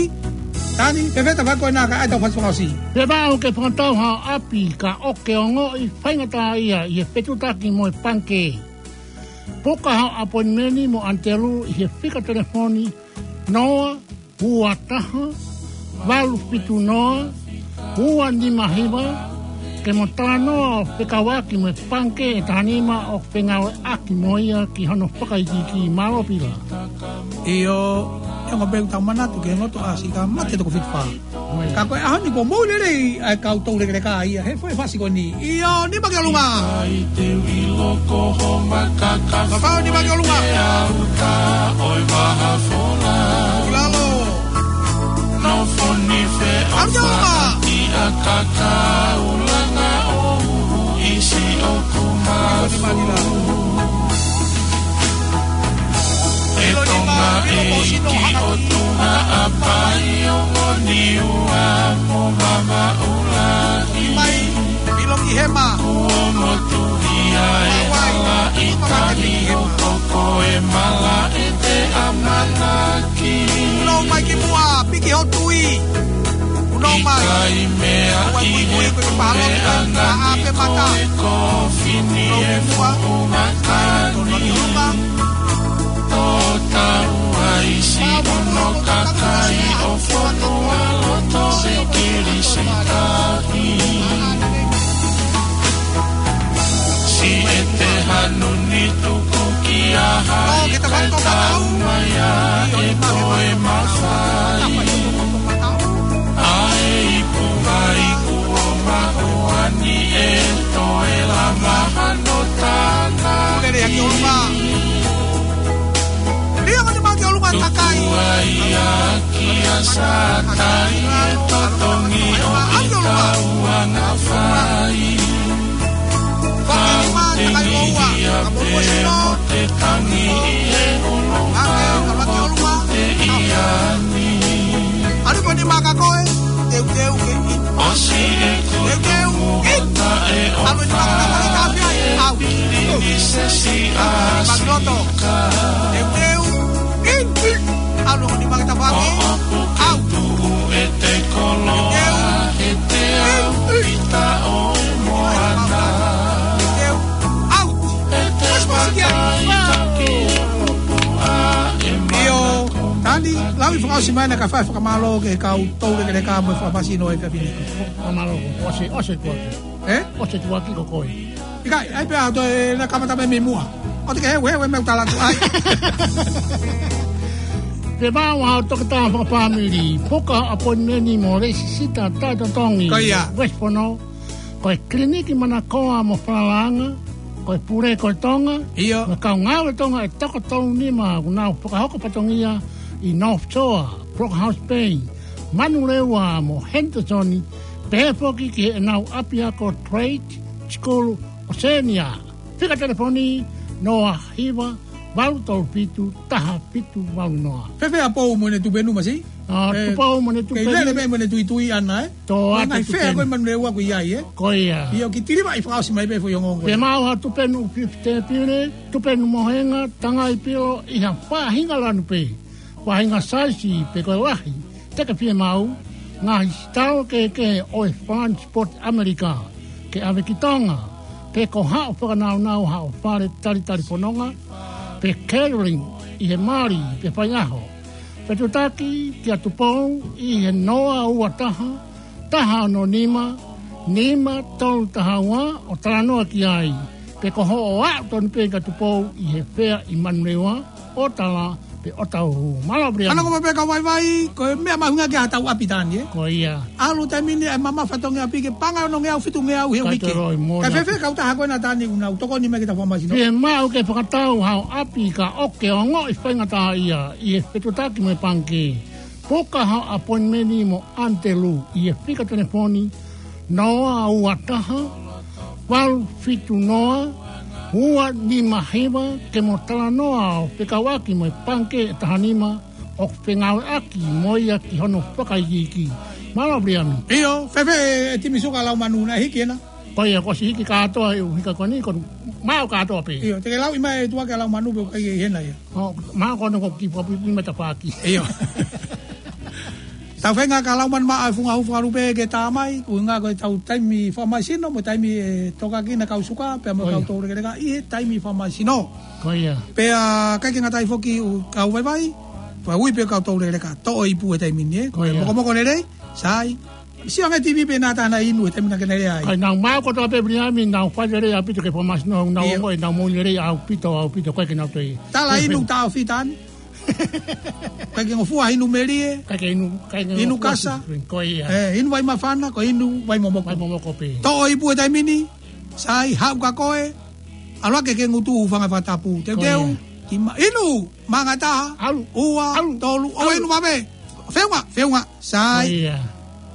Tani, fēfē ta fai ko ena ka ʻai ʻetau fasi fakaʻosi. Fiemaʻu ke fakatau hao ʻapi ka ʻoku ke ongoʻi faingataʻaʻia ʻi he fetuʻutaki mo e pangikē. Puka hao ʻapoinimeni mo ʻAnitelū ʻi he fika telefoni noa ua taha, valu fitu noa, ua nima hiva, ke mo talanoa ʻo fekauʻaki mo e pangikē ʻe taha nima ʻoku fengāueʻaki mo ia ki hono fakaikiiki. Mālō Pila. ʻIo, ʻe ongo pē ʻeku tau manatu ki he loto ʻasi ka mate toko fitu fā. Ka ko e ʻaho ni kuo mou lelei ʻa e kau toulekeleka ia he foʻi fasi ko eni. ʻIo, nima ki ʻolunga. ʻIkai te u ʻilo ko ho makaka. Ka fau nima ki ʻolunga. Ke au ka ʻo e mahafola. Ki lalo. Nofo ni fe ʻAlu ki ʻolunga. Ki ʻa kakaulanga ʻo uhu ʻisi ʻoku mafu. ʻE Tonga ʻEiki ʻo Tonga ʻa Paʻi, ongo Niua mo Mamaʻu Lahi. Mai, ʻilo ki hema. Kuo motuhi ʻa e hala ʻi Tani ʻo toko e malaʻe te ʻamanaki. Punou mai ki muʻa, piki ho tui. Punou mai. ʻIkai meaʻi he puleʻanga ni ko e kofini ʻe fuʻu makani. Tō tau ʻa ʻisi ʻono kakai ʻo fonua loto ʻi Kilisitahi. Siʻete hanu ni tuku ki ʻaha ʻikai tau mai ʻa e toe mafai. ʻA e ipu mai kuo mahuʻa ni ʻe toe lama hano tānaki. Lele hake ʻolunga. Lia mani maki ʻolunga takai. Tuku ai ʻa kia Sātai ʻe totongi ʻo ki tau anga fai. Fakahima takai ʻoua. Ka mo ua sino. Te tangi ʻi he ʻulu. Ake, ka maki ʻolunga. Te ia ni. ʻAlu ko ni maka koe. Teuteu ke i. ʻOsi e ku. Teuteu i. ʻAlu ni maka koe ka pia i. Au. Ni se si a. Maki loto. Teuteu. In, in. ʻAlu ni maka tafaʻaki. Au. Tuʻu e te koloa. Teuteu. He te au pita ʻo e moana. Teuteu. Au. E te pakai taki upu ʻa e maka. ʻIo, Tani, lau ʻi fakaʻosi mai na ka fai fakamālō ki he kau toulekeleka mo e fakafasi no e fiafini. Fakamālō, ʻosi, ʻosi tuaki. Ē? ʻOsi tuaki ko koe. ʻIkai, ʻai pē ʻa toe na kamata mei muʻa. ʻO te ke heu, heu, heu, meʻa ʻoku tala atu ai. Te mau ʻa Toketā Fakafāmili, puka appointment mo Lesisita Taʻetotongi. Ko ia. West Fono, ko e kiliniki manakoa mo falalaʻanga, ko e pule ko e Tonga, ʻio, mo e kau ngāue Tonga ʻe toko tolu nima ʻoku nau fakahoko fatongia ʻi North Shore, Brookhouse Bay, Manurewa mo Henderson, pehē foki ki heʻenau ʻapiako Trade School Oceania. Fika telefoni noa hiva valu tolu fitu taha fitu valu noa. Fēfē ʻa Pou mo ʻene tupe numa, si? ʻA, ē, Tupou mo ʻene tupe numa. Kei lele pē mo ʻene tuitui ʻana, ē? Tō atu ngaahi fea tupe numa. Ko e Manurewa ko ia, ē? Ko ia. ʻIo, ki Tiliva ʻi fakaʻosi mai pē foʻi ongoongo. Te mau ha tupe numa fifty pile, tupe numa mohenga, tangai pilo, ʻi ha faʻahinga lanu pē. Faʻahinga saisi pe ko e lahi, te ke fiemaʻu, ngaahi sitalo kehekehe ʻo e Fund Sport ʻAmelika, ke ʻave ki Tonga, pe ko haʻo fakanaunau haʻo fale talitali fononga, pe catering ʻi he mali pe faiʻaho. Fetuʻutaki kia Tupou ʻi he noa ua taha, taha ono nima, nima tolu taha ua ʻo talanoa ki ai, pe ko hoʻo aʻu tonu pē kia Tupou ʻi he fea ʻi Manurewa, ʻo tala pe ʻo tau hū. Mālō Brian. Ana ko pē ka vaivai, ko e meʻa mahuʻinga ke ʻatā ʻa Pitani, ē? Ko ia. ʻAlu taimi ni ʻe mamafa ʻa Tonga ʻapi ke paʻanga ʻe ono ngeau fitu ngeau he uike. Kae fēfē kautaha ko ena Tani ʻoku nau tokoni mai ki he tau fakafasi no? Fiemaʻu ke fakatau haʻo ʻapi ka ʻoku ke ongoʻi faingataʻaʻia ʻi he fetuʻutaki mo e pangikē. Puka haʻo appointment mo ʻAnitelū ʻi he fika telefoni noa ua taha, valu fitu noa, ua nima hiva, ke mo talanoa ʻo fekauʻaki mo e pangikē ʻe taha nima ʻoku fengāueʻaki mo ia ki hono fakaikiiki. Mālō Brian. ʻIo, fēfē e timi suka Laumanu naʻe hiki ena? Ko ia, kuo ʻosi hiki kātoa e ʻū hika ko eni, ko e maʻu kātoa pē. ʻIo, te ke lauʻi mai e tuʻa kia Laumanu pe ʻoku ʻikai ke ʻi hena ia. ʻO, maʻu ko ena ko e kiʻi puapuipuʻi matapaaki. ʻIo. Tau feinga kia Laumanu maʻu e funga hū fakalupe ke tā mai, ʻuhinga ko e tau taimi fakamasino, mo e taimi ʻe tokanga ki ai e kau suka, pea mo e kau toulekeleka ʻi he taimi fakamasino. Ko ia. Pea ʻikai ke ngata ai foki ʻū kau vaivai, pea ui pē kau toulekeleka, toʻo e ipu he taimi ni, ē. Ko ia. Mokomoko lelei, sai. Sio ange T V pē naʻa tau inu he taimi naʻa ke lea ai. Kae nau maʻu kotoa pē Viliami, nau fai lelei ʻaupito ki he fakamasino, nau ʻIo. ongoʻi, nau moʻui lelei ʻaupito, ʻaupito, ko e ke nau toi. Tala inu taʻofi Tani. Kae ke ngofua inu melie. Kae ke inu, kae ke Inu ngofua kasa. Ko ia. Eh, inu vai mafana, ko inu vai momoko. Vai momoko pē. Toʻo ipu he taimi ni, sai, haʻu ka koe. ʻAlu hake ki he ngutu, hūfanga he fakatapu. Teuteu, Ko ia. ki ma-, inu, mānga taha, ʻAlu. ua, ʻAlu. tolu, ʻo ʻAlu. inu mave. Feʻunga, feʻunga, sai. Ko ia.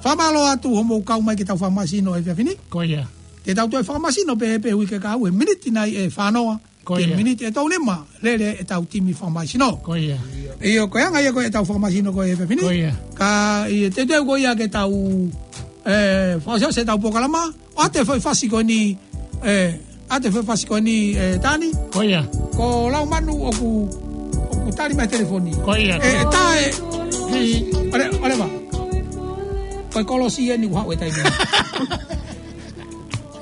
Fakamālō atu hoʻomou kau mai ki heʻetau fakamasino he efiafi ni. Ko ia. Te tau toe fakamasino pē, pē uike kahaʻu he miniti nai ʻe fānoa. Ko Ki he ia. miniti ʻe tolunima, lele ʻetau timi fakamasino. Ko ia. ʻIo, ko e anga ia ko ē ʻetau fakamasino ko ē he efiafi ni. Ko ia. Ka ʻi he teuteu ko ia ke tau, eh, fakaʻosiʻosi ʻetau polokalama, ʻoatu e foʻi fasi ko eni, eh, ʻoatu e foʻi fasi ko eni, eh, Tani. Ko ia. Ko Laumanu ʻoku, ʻoku tali mai telefoni. Ko ia. Eh, tā e. Ki- ʻOle, ʻoleva. Ko e kolosi eni kuo haʻu he taimi ni.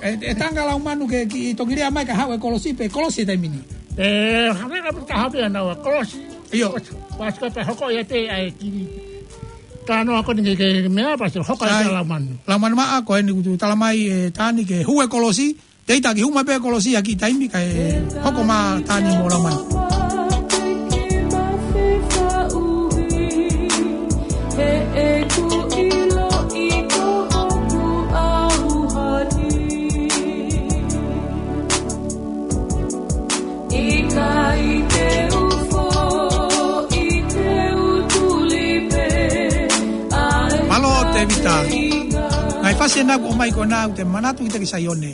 E, e tanga Laumanu ke kiʻi toki lea mai ka haʻu e kolosi pe kolosi he taimi ni. E, hanga ka puta hape ana ua kolosi. ʻIo. Pasi ka pe hoko ia te ai ki. Tano ako ni ke, ke mea pasi hoko ia Sai. Laumanu. Laumanu maʻa, ko eni kuo tala mai e Tani ke hū e kolosi. Te ita ki hū mai pē e kolosi ʻaki taimi kae hoko mai Tani mo Laumanu. Mālō Tēvita. Ngaahi fasi ena kuo ʻomai ko ena ʻoku te manatu kita ki Saione.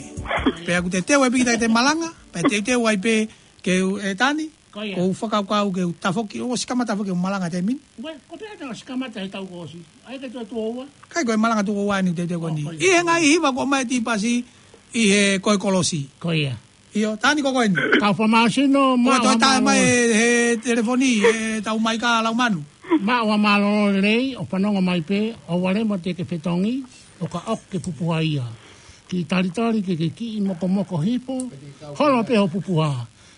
Pea ʻoku te teu e piki kita ki te malanga, pea teuteu ai pē ke u e Tani, Ko ia. ʻoku ou fakakaukau ke u tafoki, ʻosi kamata tafoki ʻo malanga he taimi ni. Ue, ko pea ta ʻosi kamata he taʻu kuo ʻosi. ʻAi ke tuʻo tuʻo ua. Kai ko e malanga tuʻo ua ni teuteu ko eni. Oh, ko ia. ʻI he ngaahi hiva kuo ʻomai e tipasi, ʻi he ko e kolosi. Ko ia. ʻIo, Tani ko ko eni. Kau fakamasino, Ua maʻu toe ha tae mālō. mai he, he telefoni, he tau mai ka Laumanu. Maʻu ha mālō lelei, ʻo fanongo mai pē, ʻoua leva te ke fetongi, ʻo ka ʻoku ke pupuha ia. Kiʻi talitali ke ke kiʻi mokomoko hifo, holo pē hoʻo pupuha.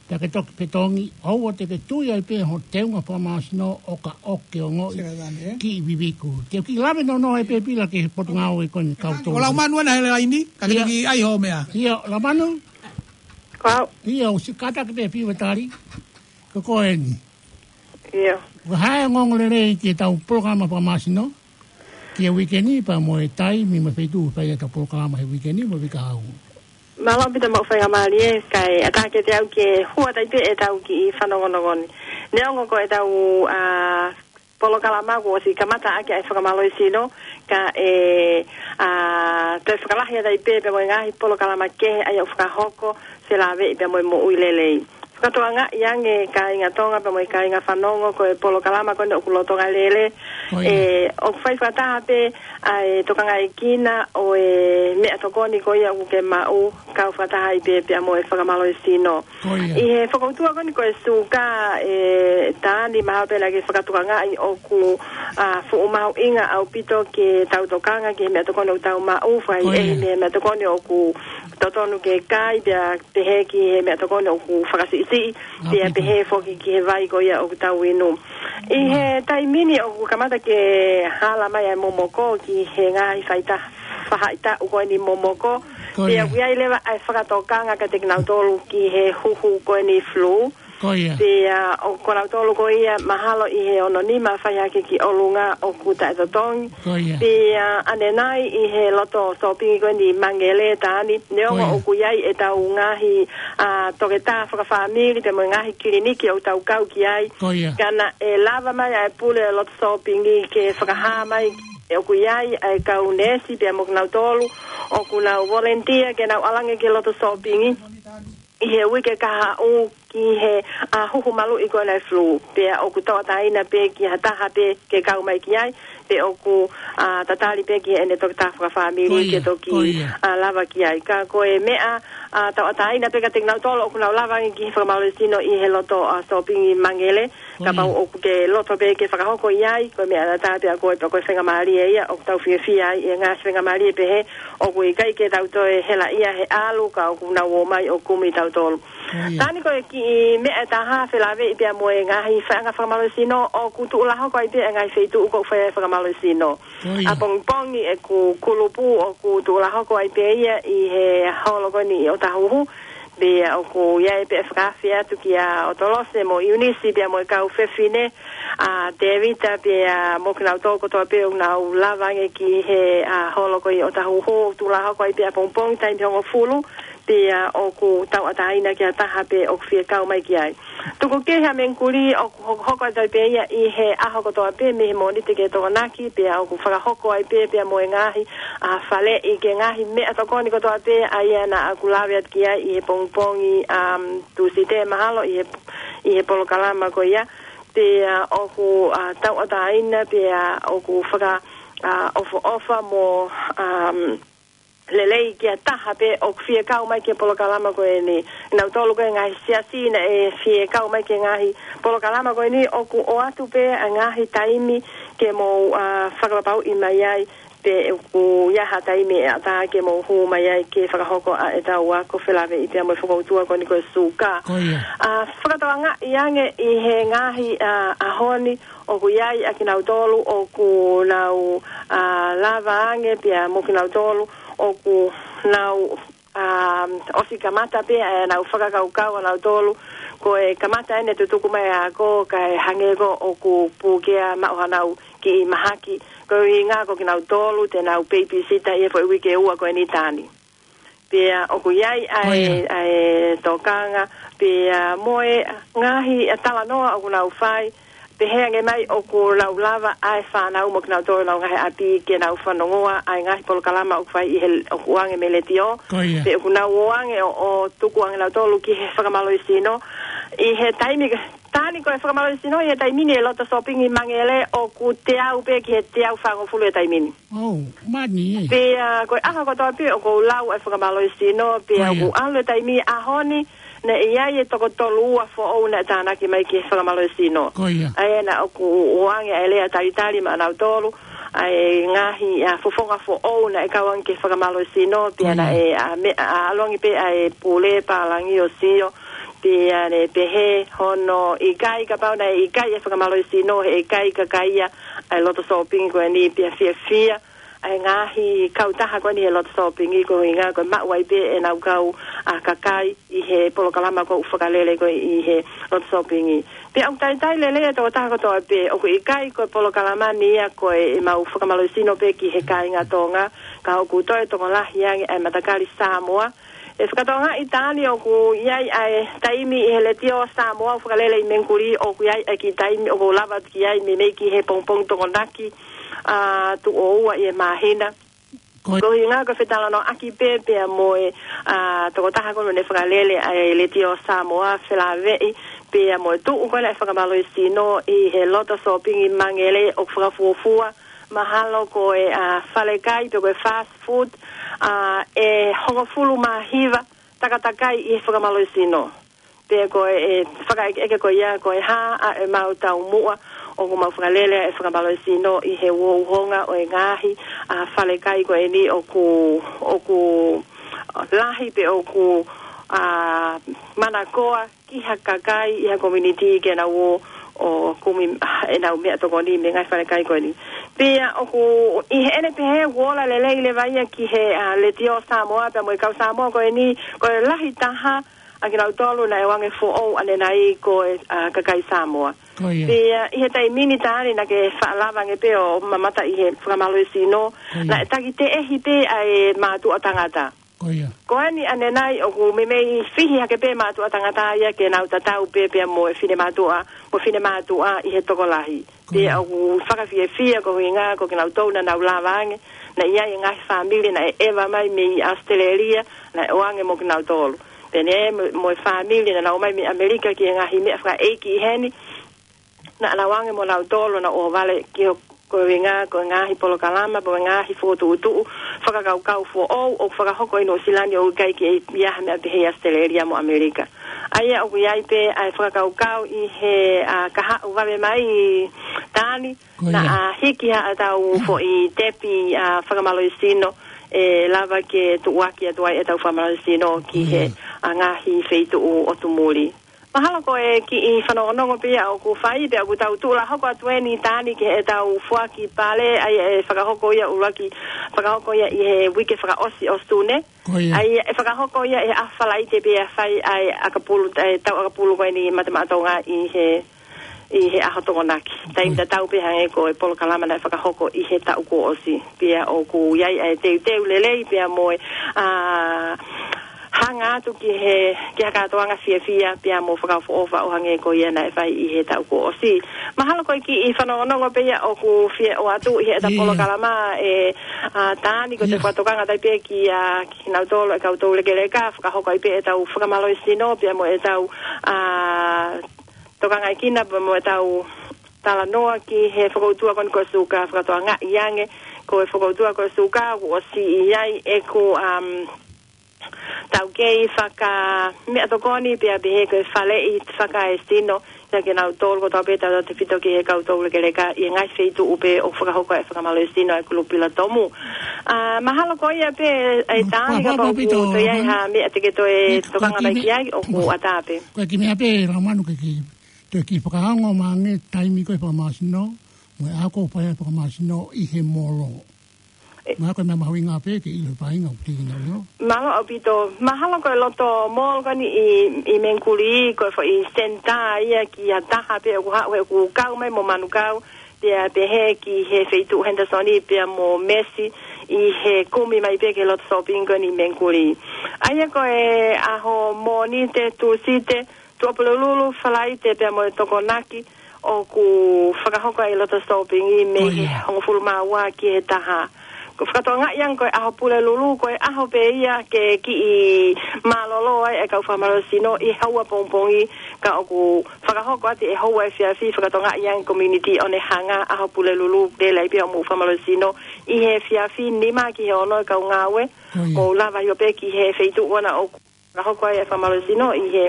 Pea ke toki fetongi, ʻoua te ke tui ai pē ho teunga fakamasino ʻo ka ʻoku ke ongoʻi Sera Tani, eh? kiʻi viviku. Te u kiʻi lave nounou ai pē pila ki he potungāue ko eni kau Ko tō. Laumanu ena he laini, ka ke Ia. toki ʻai hoʻo meʻa. Ia, Laumanu? Kau. Ia, ʻosi kātaki pē fiu e tali. Ko ko eni. ʻIo. Ko e hā e ongoongo lelei ki heʻetau polokalama fakamasino, ki he uike ni pea mo e taimi mo e feituʻu ʻoku fai ai ʻetau polokalama he uike ni mo e uike kahaʻu. Mālō ʻaupito maʻu faingamālie, kae ʻatā kiate au ke hua atu ai pē ʻetau kiʻi fanongonongo ni. Neongo ko ʻetau, ʻa, polokalama kuo ʻosi kamata ʻaki ʻa e fakamālohisino, ka ʻe, ʻa, toe fakalahi atu ai pē pea mo e ngaahi polokalama kehe ʻa ia ʻoku fakahoko, felāveʻi pea mo e moʻui lelei. Fakatokangaʻi ange kāinga Tonga pea mo e kāinga fanongo ko e polokalama ko eni ʻoku lolotonga lele. Ko ia. ʻE, ʻoku fai fakataha pē ʻa e tokangaekina ʻo e meʻatokoni ko ia ʻoku ke maʻu kau fakataha ai pē pea mo e fakamālohisino. Ko ia. ʻI he fokoutua ko eni ko e suka ʻe Tani mahalo pē naʻa ke fakatokangaʻi ʻoku, ʻa, fuʻu mahuʻinga ʻaupito ke tau tokanga ki he meʻatokoni ʻoku tau maʻu, fai Ko ia. ʻe he meʻatokoni ʻoku totonu ke kai, pea pehē ki he meʻatokoni ʻoku fakasiʻisiʻi, pea Āpiti. pehē foki ki he vai ko ia ʻoku tau inu. ʻI he taimi ni ʻoku kamata ke hala mai ʻa e momoko ki he ngaahi faita-, faʻahitaʻu ko eni momoko. Ko Pea ia. ʻoku ʻi ai leva ʻa e fakatokanga kiate kinautolu ki he huhu ko eni flu. Ko ia. Pea ʻoku kinautolu ko ia mahalo ʻi he ono nima fai hake ki ʻolunga ʻoku taʻetotongi. Ko ia. Pea ʻanenai ʻi he loto sōpingi ko eni Mangele Tani. Neongo Ko ia. ʻoku ʻi ai ʻetau ngaahi, ʻa, toketā fakafāmili pea mo e ngaahi kiliniki ʻoku tau kau ki ai. Ko ia. Ka naʻe lava mai ʻa e pule loto sōpingi ke fakahā mai ʻoku ʻi ai ʻa e kau neesi pea mo kinautolu ʻoku nau volunteer ke nau ʻalu ange ki he loto sōpingi ʻi he uike kahaʻu ki he, ʻa, huhu maluʻi ko ena e flu. Pea ʻoku tauʻatāina pē ki ha taha pē ke kau mai ki ai, pe ʻoku, ʻa, tatali pē ki heʻene toketā fakafāmili Ko ia, ke toki, ko ia. ʻa, lava ki ai. Ka ko e meʻa, ʻa, tauʻatāina pē kiate kinautolu ʻoku nau lava ange ki he fakamālohisino ʻi he loto, ʻa, sōpingi Mangele. Ko ia. Kapau ʻoku ke loto pē ke fakahoko ʻi ai, ko e meʻa ʻatā pē ʻa koe pea ko e faingamālie ia ʻoku tau fiefia ai, ʻi he ngaahi faingamālie pehē, ʻoku ʻikai ke tau toe helaʻia he ʻalu ka ʻoku nau ō mai ʻo kumi tautolu. Ko ia. Tani ko e kiʻi meʻa ʻe taha felāveʻi pea mo e ngaahi faiʻanga fakamālohisino ʻoku tuʻulahoko ai pē e ngaahi feituʻu ʻoku fai ai e fakamālohisino. Ko ia. ʻApongipongi ʻeku kulupu ʻoku tuʻulahoko ai pē ia ʻi he holo ko eni ʻi ʻŌtāhuhu. Pea ʻoku ʻi ai pē e fakaafe atu kia ʻOtolose mo ʻIunisi pea mo e kau fefine ʻa Tēvita pea mo kinautolu kotoa pē ʻoku nau lava ange ki he ʻa holo ko ē ʻi ʻŌtāhuhu, tuʻulahoko ai pē ʻapongipongi taimi hongofulu, pea ʻoku tauʻatāina ki ha taha pē ʻoku fie kau mai ki ai. Tuku kehe ʻa Mengikuli ʻoku hokohoko atu ai pē ia ʻi he ʻaho kotoa pē mei he Mōnite ki he Tokonaki, pea ʻoku fakahoko ai pē pea mo e ngaahi ʻa faleʻi ki he ngaahi meʻatokoni kotoa pē ʻa ia naʻa ku lave atu ki ai ʻi he pongipongi, um, Tūsite mahalo ʻi he, ʻi he polokalama ko ia. Pea ʻoku ʻa tauʻatāina pea ʻoku faka ʻa ʻofoʻofa mo, um, lelei ki ha taha pē ʻoku fie kau mai ki he polokalama ko eni. Nautolu ko e ngaahi siasi naʻe fie kau mai ki he ngaahi polokalama ko eni ʻoku ʻoatu pē ʻa e ngaahi taimi ke mou ʻa fakapapauʻi mai ai pe ʻoku ʻi ai ha taimi ʻe ʻatā ke mou hū mai ai ke fakahoko ʻa ʻetau ako felāveʻi pea mo e fokoutua ko eni ko e suka. Ko ia. ʻA fakatokangaʻi ange ʻi he ngaahi ʻa ʻaho ni ʻoku ʻi ai ʻa kinautolu ʻoku nau ʻa lava ange pea mo kinautolu ʻoku nau ʻa ʻosi kamata pē ʻa ʻenau fakakaukau ʻanautolu. Ko e kamata eni e tutuku mai ʻa e ako kae hangē ko ē ʻoku puke ʻa maʻu hanau kiʻi mahaki. Ko e ʻuhinga ko kinautolu te nau babysitter ʻi he foʻi uike ʻe ua ko eni, Tani. Pea ʻoku ʻi ai ʻa e, ʻa e tokanga, pea mo e ngaahi ʻa talanoa ʻoku nau fai, pehē ange mai ʻoku nau lava ʻa e fānau mo kinautolu ʻenau ngaahi ʻapi ke nau fanongoa ʻa e ngaahi polokalama ʻoku fai ʻi he, ʻoku ʻoange mei he letiō. Ko ia. Pea ʻoku nau ō ange ʻo, ʻo tuku ange nautolu ki he fakamālohisino. ʻI he taimi, Tani, ko e fakamālohisino ʻi he taimi ni ʻe loto sōpingi mangele ʻoku teau pē ki he teau fāngofulu he taimi ni. ʻOu, mani ē. Pea ko e ʻaho kotoa pē ʻoku ou lau e fakamālohisino, pea ʻoku ʻalu e taimi ʻaho ni, naʻe ʻi ai e toko tolu ua foʻou naʻe tānaki mai ki he fakamālohisino. Ko ia. ʻA ia naʻa ku ʻoange ʻa e lea talitali maʻanautolu, ʻa e ngaahi ʻa fofonga foʻou naʻe kau ange ki he fakamālohisino, pea naʻe ʻa me-, ʻa ʻalu ange pē ʻa e pule pālangi ʻo sio, pea ne pehē hono ʻikai kapau naʻe ʻikai e fakamālohisino, heʻikai kakaia ʻa e loto sōpingi ko eni, pea fiefia ʻa e ngaahi kautaha ko eni he loto sōpingi, ko e ʻuhinga ko e maʻu ai pē ʻenau kau ʻa kakai ʻi he polokalama ko ē ʻoku fakalele ko ē ʻi he loto sōpingi. Pea ʻoku talitali lelei e tokotaha kotoa pē, ʻoku ʻikai ko e polokalama ni ia ko ʻemau fakamālohisino pē ki he kāinga Tonga, ka ʻoku toe tokolahi ange ʻa e matakali Samoa. ʻE fakatokangaʻi, Tani, ʻoku ʻi ai ʻa e taimi ʻi he letiō Samoa ʻoku fakalele ʻi Mengikuli, ʻoku ʻi ai ʻa e kiʻi taimi ʻoku ou lava atu ki ai meimei ki he pongipongi Tokonaki ʻa tuʻo ua ʻi he māhina. Ko ia. Ko e ʻuhinga ko e fetalanoaʻaki pē pea mo e ʻa tokotaha ko ē naʻe fakalele ʻa e letiō Samoa felāveʻi pea mo e tuʻu ko ē ʻa e fakamālohisino ʻi he loto sōpingi mangele ʻoku fakafuofua mahalo ko e ʻa falekai pe ko e fast food ʻa ʻe hongofulu mā hiva takatakai ʻi he fakamālohisino. Pea ko e, e fakaʻekeʻeke ko ia, ko e hā ʻa ʻemau taumuʻa ʻoku mau fakalele ʻa e fakamālohisino ʻi he uouhonga ʻo e ngaahi ʻa falekai ko eni ʻoku, ʻoku lahi pe ʻoku ʻa manakoa ki ha kakai ʻi ha community ke nau ō ʻo kumi ʻa ʻenau meʻatokoni mei he ngaahi falekai ko eni. Pea ʻoku ʻi heʻene pehē ʻoku ola lelei leva ia ki he ʻa letiō Samoa pea mo e kau Samoa ko eni, ko e lahi taha ʻa kinautolu naʻe ʻoange foʻou ʻanenai ko e ʻa kakai Samoa. Ko ia. Pea ʻi he taimi ni, Tani, naʻa ke faʻa lava ange pē ʻo mamata ʻi he fakamālohisino, ko ia, naʻe taki teʻehi pē ʻa e mātuʻa tangata. Ko ia. Ko eni ʻanenai ʻoku meimei fihi hake pē mātuʻa tangata ia ke nau tatau pē pea mo e finemātuʻa, mo e finemātuʻa ʻi he tokolahi. Ko ia. Pea ʻoku fakafiefia ko e ʻuhinga ko kinautolu naʻa nau lava ange, naʻe ʻi ai e ngaahi fāmili naʻe ʻeva mai mei ʻAositelēlia, naʻe ʻoange mo kinautolu. Pea ne mo, mo e fāmili naʻa nau ō mai mei ʻAmelika ki he ngaahi meʻa fakaʻeiki ʻi heni, naʻa nau ō ange mo nautolu, naʻa nau ō vale ki ho, ko e ʻuhinga ko e ngaahi polokalama, ko e ngaahi fokotuʻutuʻu fakakaukau foʻou ʻoku fakahoko ʻi Nuʻusila ni, ʻoku ʻikai ke ʻi ai ha meʻa pehē ʻi ʻAositelēlia mo ʻAmelika. ʻA ia ʻoku ʻi ai pē ʻa e fakakaukau ʻi he ʻa kahaʻu vave mai, Tani, ko ia, naʻa hiki haʻatau foʻi tepi ʻa fakamālohisino ʻe lava ke tuʻuaki atu ai ʻetau fakamālohisino ki he ngaahi feituʻu ʻo Tumuli. Mahalo ko e kiʻi fanongonongo pē ia ʻoku fai, pea ʻoku tau tuʻu hoko atu eni Tani ki heʻetau foaki pale, ʻa ia ʻe fakahoko ia ʻuluaki, fakahoko ia ʻi he uike fakaʻosi ʻo Sune. ʻA ia ʻe fakahoko ia ʻi he ʻaho Falaite pea fai ai ʻakapulu, ʻe tau ʻakapulu ko eni Mate Maʻa Tonga ʻi he ʻi he ʻaho Tokonaki. Taimi tatau pē hangē ko e polokalama naʻe fakahoko ʻi he taʻu kuo ʻosi. Pea ʻoku ʻi ai ʻa e teuteu lelei pea mo e, ʻa, hanga atu ki he, ki ha kātoanga fiefia pea mo fakaʻofoʻofa ʻo hangē ko ia naʻe fai ʻi he taʻu kuo ʻosi. Mahalo ko e kiʻi fanongonongo pē ia ʻoku fie ʻoatu ʻi heʻeta polokalama ē, ʻa, Tani, ko te fakatokanga atu ai pē kia kinautolu e kau toulekeleka, fakahoko ai pē ʻetau fakamālohisino pea mo ʻetau, ʻa, tokangaekina pea mo ʻetau talanoa ki he fokoutua ko eni ko e suka, fakatokangaʻi ange ko e fokoutua ko e suka, kuo ʻosi ʻi ai ʻeku, um, taukei fakameʻatokoni pea pehē ko e faleʻi fakaesino, ia ke nau tolu ko tau pē tau tefito ki he kau toulekeleka ʻi he ngaahi feituʻu pē ʻoku fakahoko e fakamālohisino ʻa e kulupu Pilatomu. ʻA, mahalo ko ia pē ʻe Tani, kapau ʻoku toe ʻi ai ha meʻa te ke toe tokanga mai ki ai ʻoku ʻatā pē. Ko e kiʻi meʻa pē Laumanu ke kiʻi toe kiʻi fakaongo mai ange taimi ko e fakamālohisino, mo e ʻaho ʻoku fai ai e fakamālohisino ʻi he molo. Mahalo ko e meʻa mahuʻinga pē ke ʻilo e faʻahinga ʻoku teʻeki ai ke ʻilo. Mālō ʻaupito, mahalo ko e loto molo ko eni ʻi, ʻi Mengikuli, ko e foʻi senitā ia ki ha taha pē ʻoku haʻu he ʻoku kau mai mo manukau, pea pehē ki he feituʻu Henderson pea mo Mesi ʻi he kumi mai pē ki he loto shopping ko eni ʻi Mengikuli. ʻA ia ko e ʻaho Mōnite, Tūsite, Tuʻapulelulu, Falaite pea mo e Tokonaki ʻoku fakahoko ai e loto shopping mei he hongofulu mā ua ki he taha. Ko e fakatokangaʻi ange ko e ʻaho Pulelulu ko e ʻaho pē ia ke kiʻi mālōlō ai e kau fakamālohisino ʻi he houa pongipongi, ka ʻoku fakahoko atu ʻi he houa efiafi, fakatokangaʻi ange community ʻo ne hanga ʻaho Pulelulu, tele ai pē hoʻomou fakamālohisino ʻi he efiafi nima ki he ono e kau ngāue. Mou lava ʻio pē ki he feituʻu ʻoku fakahoko ai e fakamālohisino ʻi he,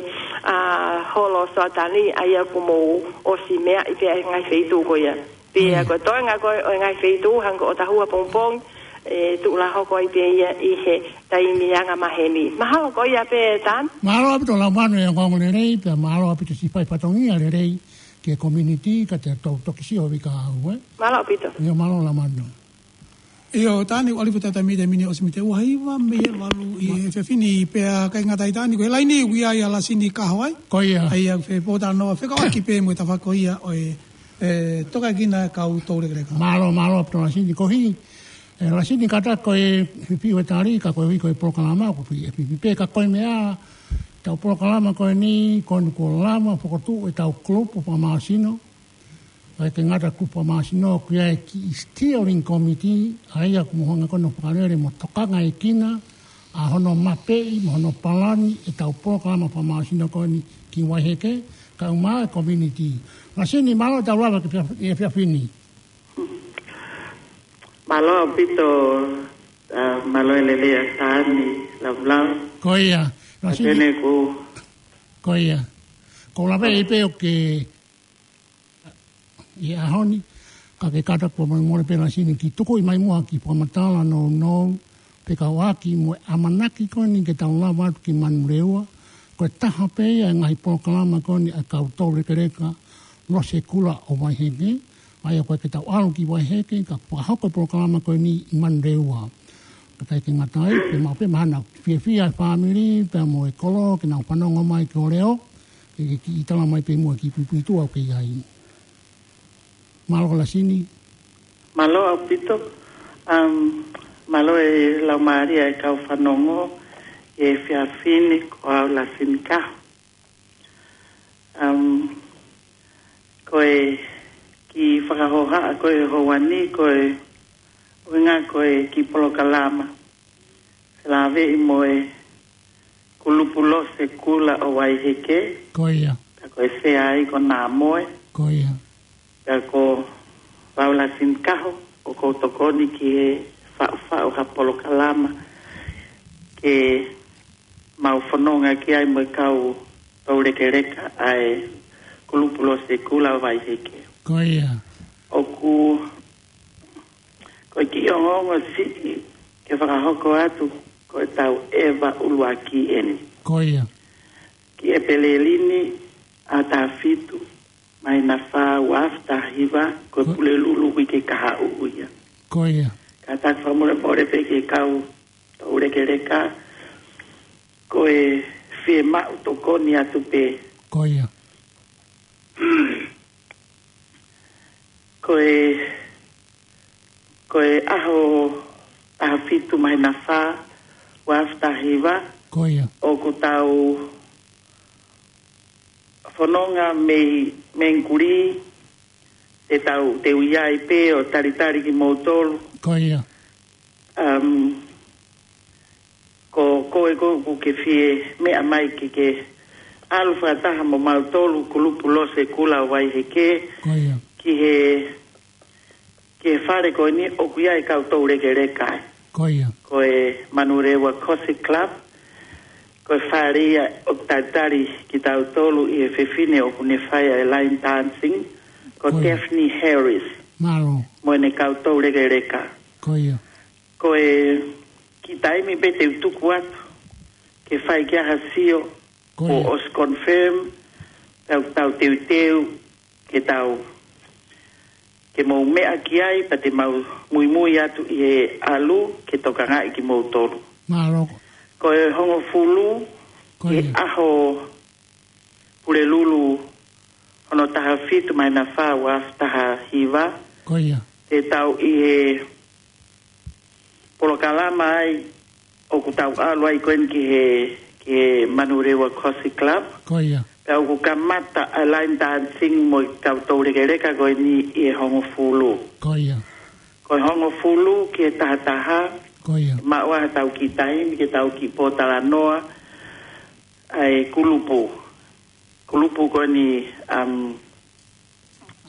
ʻa, holo Soatani, ʻa ia kuo mou ʻosi meaʻi pē ʻa e ngaahi feituʻu ko ia. Pea ko e toenga ko ē ʻo e ngaahi feituʻu hangē ko ʻOtahua pongipongi, ʻe tuʻu lā hoko ai pē ia ʻi he taimi anga maheni. Mahalo ko ia pē Tani. Mālō ʻaupito Laumanu e ongoongo lelei, pea mālō ʻaupito siʻi fai fatongia lelei ki he community, ka te tau toki sio vika au, ē? Mālō ʻaupito. ʻIo, mālō Laumanu. ʻIo, Tani, ʻoku ʻalu ʻa e taimi, taimi ni ʻosi mei he ua hiva mei he valu ʻi he efiafi ni, pea ʻikai ngata ai Tani, ko e laini ʻoku ʻi ai ʻa Lasini Kaho ai. Ko ia. ʻA ia ʻoku fepōtalanoa fekauʻaki pē mo e tafaʻaki ko ia ʻo e, e, tokangaekina e kau toulekeleka. Mālō, mālō ʻaupito Lasini, ko e hā, e, Lasini, kātaki ko e fiu e tali, ka ko e ui ko e polokalama, ko e fie fiu pē, ka ko e meʻa, ʻetau polokalama ko eni, ko eni kuo lava fokotuʻu ʻetau kulupu fakamālohisino, ʻikai ke ngata kulupu fakamālohisino, ʻoku ʻi ai e kiʻi steering committee, ʻa ia ʻoku mou hanga ko eni ʻo fakalele mo tokangaekina ʻa hono mapeʻi mo hono palani ʻetau polokalama fakamālohisino ko eni ki Vaiheke, kae ʻumaʻā e community. Lasini, mālō ʻetau lava ki he efiafi ni. Mālō ʻaupito, ʻa, mālō e lelei ʻa Tani, Laulaulau. Ko ia, Lasini. Tene ku. Ko ia. Ko e lave ʻi pē ʻoku ke ʻi he ʻaho ni, ka ke kātaki pē mo e mole pē Lasini ke tuku mai muʻa ha kiʻi fakamatala nounou, fekauʻaki mo e ʻamanaki ko eni ke tau lava atu ki Manurewa, ko e taha pē ia e ngaahi polokalama ko eni ʻa e kau toulekeleka Losekula ʻo Vaiheke, ʻa ia ko e ke tau ʻalu ki Vaiheke, ka fakahoko e polokalama ko eni ʻi Manurewa. Ka ʻikai ke ngata ai, pea maʻu pē mahalo fiefia e fāmili, pea mo e kolo, ke nau fanongo mai ki ho leʻo, ke, ke kiʻi tala mai pē muʻa e kiʻi puipuituʻa ʻoku ke ʻi ai. Mālō Lasini. Mālō ʻaupito. Um, mālō e laumālie e kau fanongo he efiafi ni, ko au Lasini Kaho. Um, ko e kiʻi fakahohaʻa ko ē houa ni, ko e ʻuhinga ko e kiʻi polokalama felāveʻi mo e kulupu Losekula ʻo Vaiheke. Ko ia. Ka ko e sea ai ko Namoe. Ko ia. Ka ko au Lasini Kaho, ʻoku ou tokoni ki he faʻufaʻu ha polokalama ke mau fononga ki ai mo e kau toulekeleka ʻa e kulupu Losekula ʻo Vaiheke. Ko ia. ʻOku, ko e kiʻi ongoongo siʻi ke fakahoko atu ko e tau ʻeva ʻuluaki eni. Ko ia. Ki ʻEpeleli ni ʻa taha fitu, māhina fā, ua afe taha hiva, ko e Ko- Pulelulu uike kahaʻu ia. Ko ia. Kātaki fakamolemole pē ki he kau toulekeleka, ko e fiemaʻu tokoni atu pē. Ko ia. Ko e, ko e ʻaho taha fitu māhina fā, ua afe taha hiva. Ko ia. ʻOku tau fononga mei, mei Nguli, te tau, te u ʻi ai pē ʻo talitali kimoutolu. Ko ia. Um, ko, ko e ko, ʻoku ke fie meʻa mai ke, ke ʻalu fakataha mo mautolu kulupu Lose Kula ʻo Vaiheke. Ko ia. Ki he, ki he fale ko eni ʻoku ʻi ai e kau toulekeleka. Ko ia. Ko e Manurewa Coffee Club. Ko e fale ia ʻoku talitali kitautolu ʻi he fefine ʻoku ne fai ʻa e line dancing. Ko Ko ia. Daphne Harris. Mālō. Mo ʻene kau toulekeleka. Ko ia. Ko e kiʻi taimi pē te u tuku atu ke fai ki ai ha sio, Ko ia. ʻOsi confirm, tau, tau teuteu, ke tau, ke mou meʻa ki ai, pea te mau muimui atu ʻi he ʻalu, ke tokangaʻi kimoutolu. Mālō. Ko e hongofulu, Ko ia. ʻAho Pulelulu, hono taha fitu māhina fā, ua afe taha hiva. Ko ia. Te tau ʻi he polokalama ai, ʻoku tau ʻalu ai ko eni ki he, ki he Manurewa Coffee Club. Ko ia. Pea ʻoku kamata ʻa e line dancing mo e kau toulekeleka ko eni ʻi he hongofulu. Ko ia. Ko e hongofulu ki he taha taha. Ko ia. Maʻu ai ha tau kiʻi taimi ke tau kiʻi pōtalanoa ʻa e kulupu. Kulupu ko eni, um,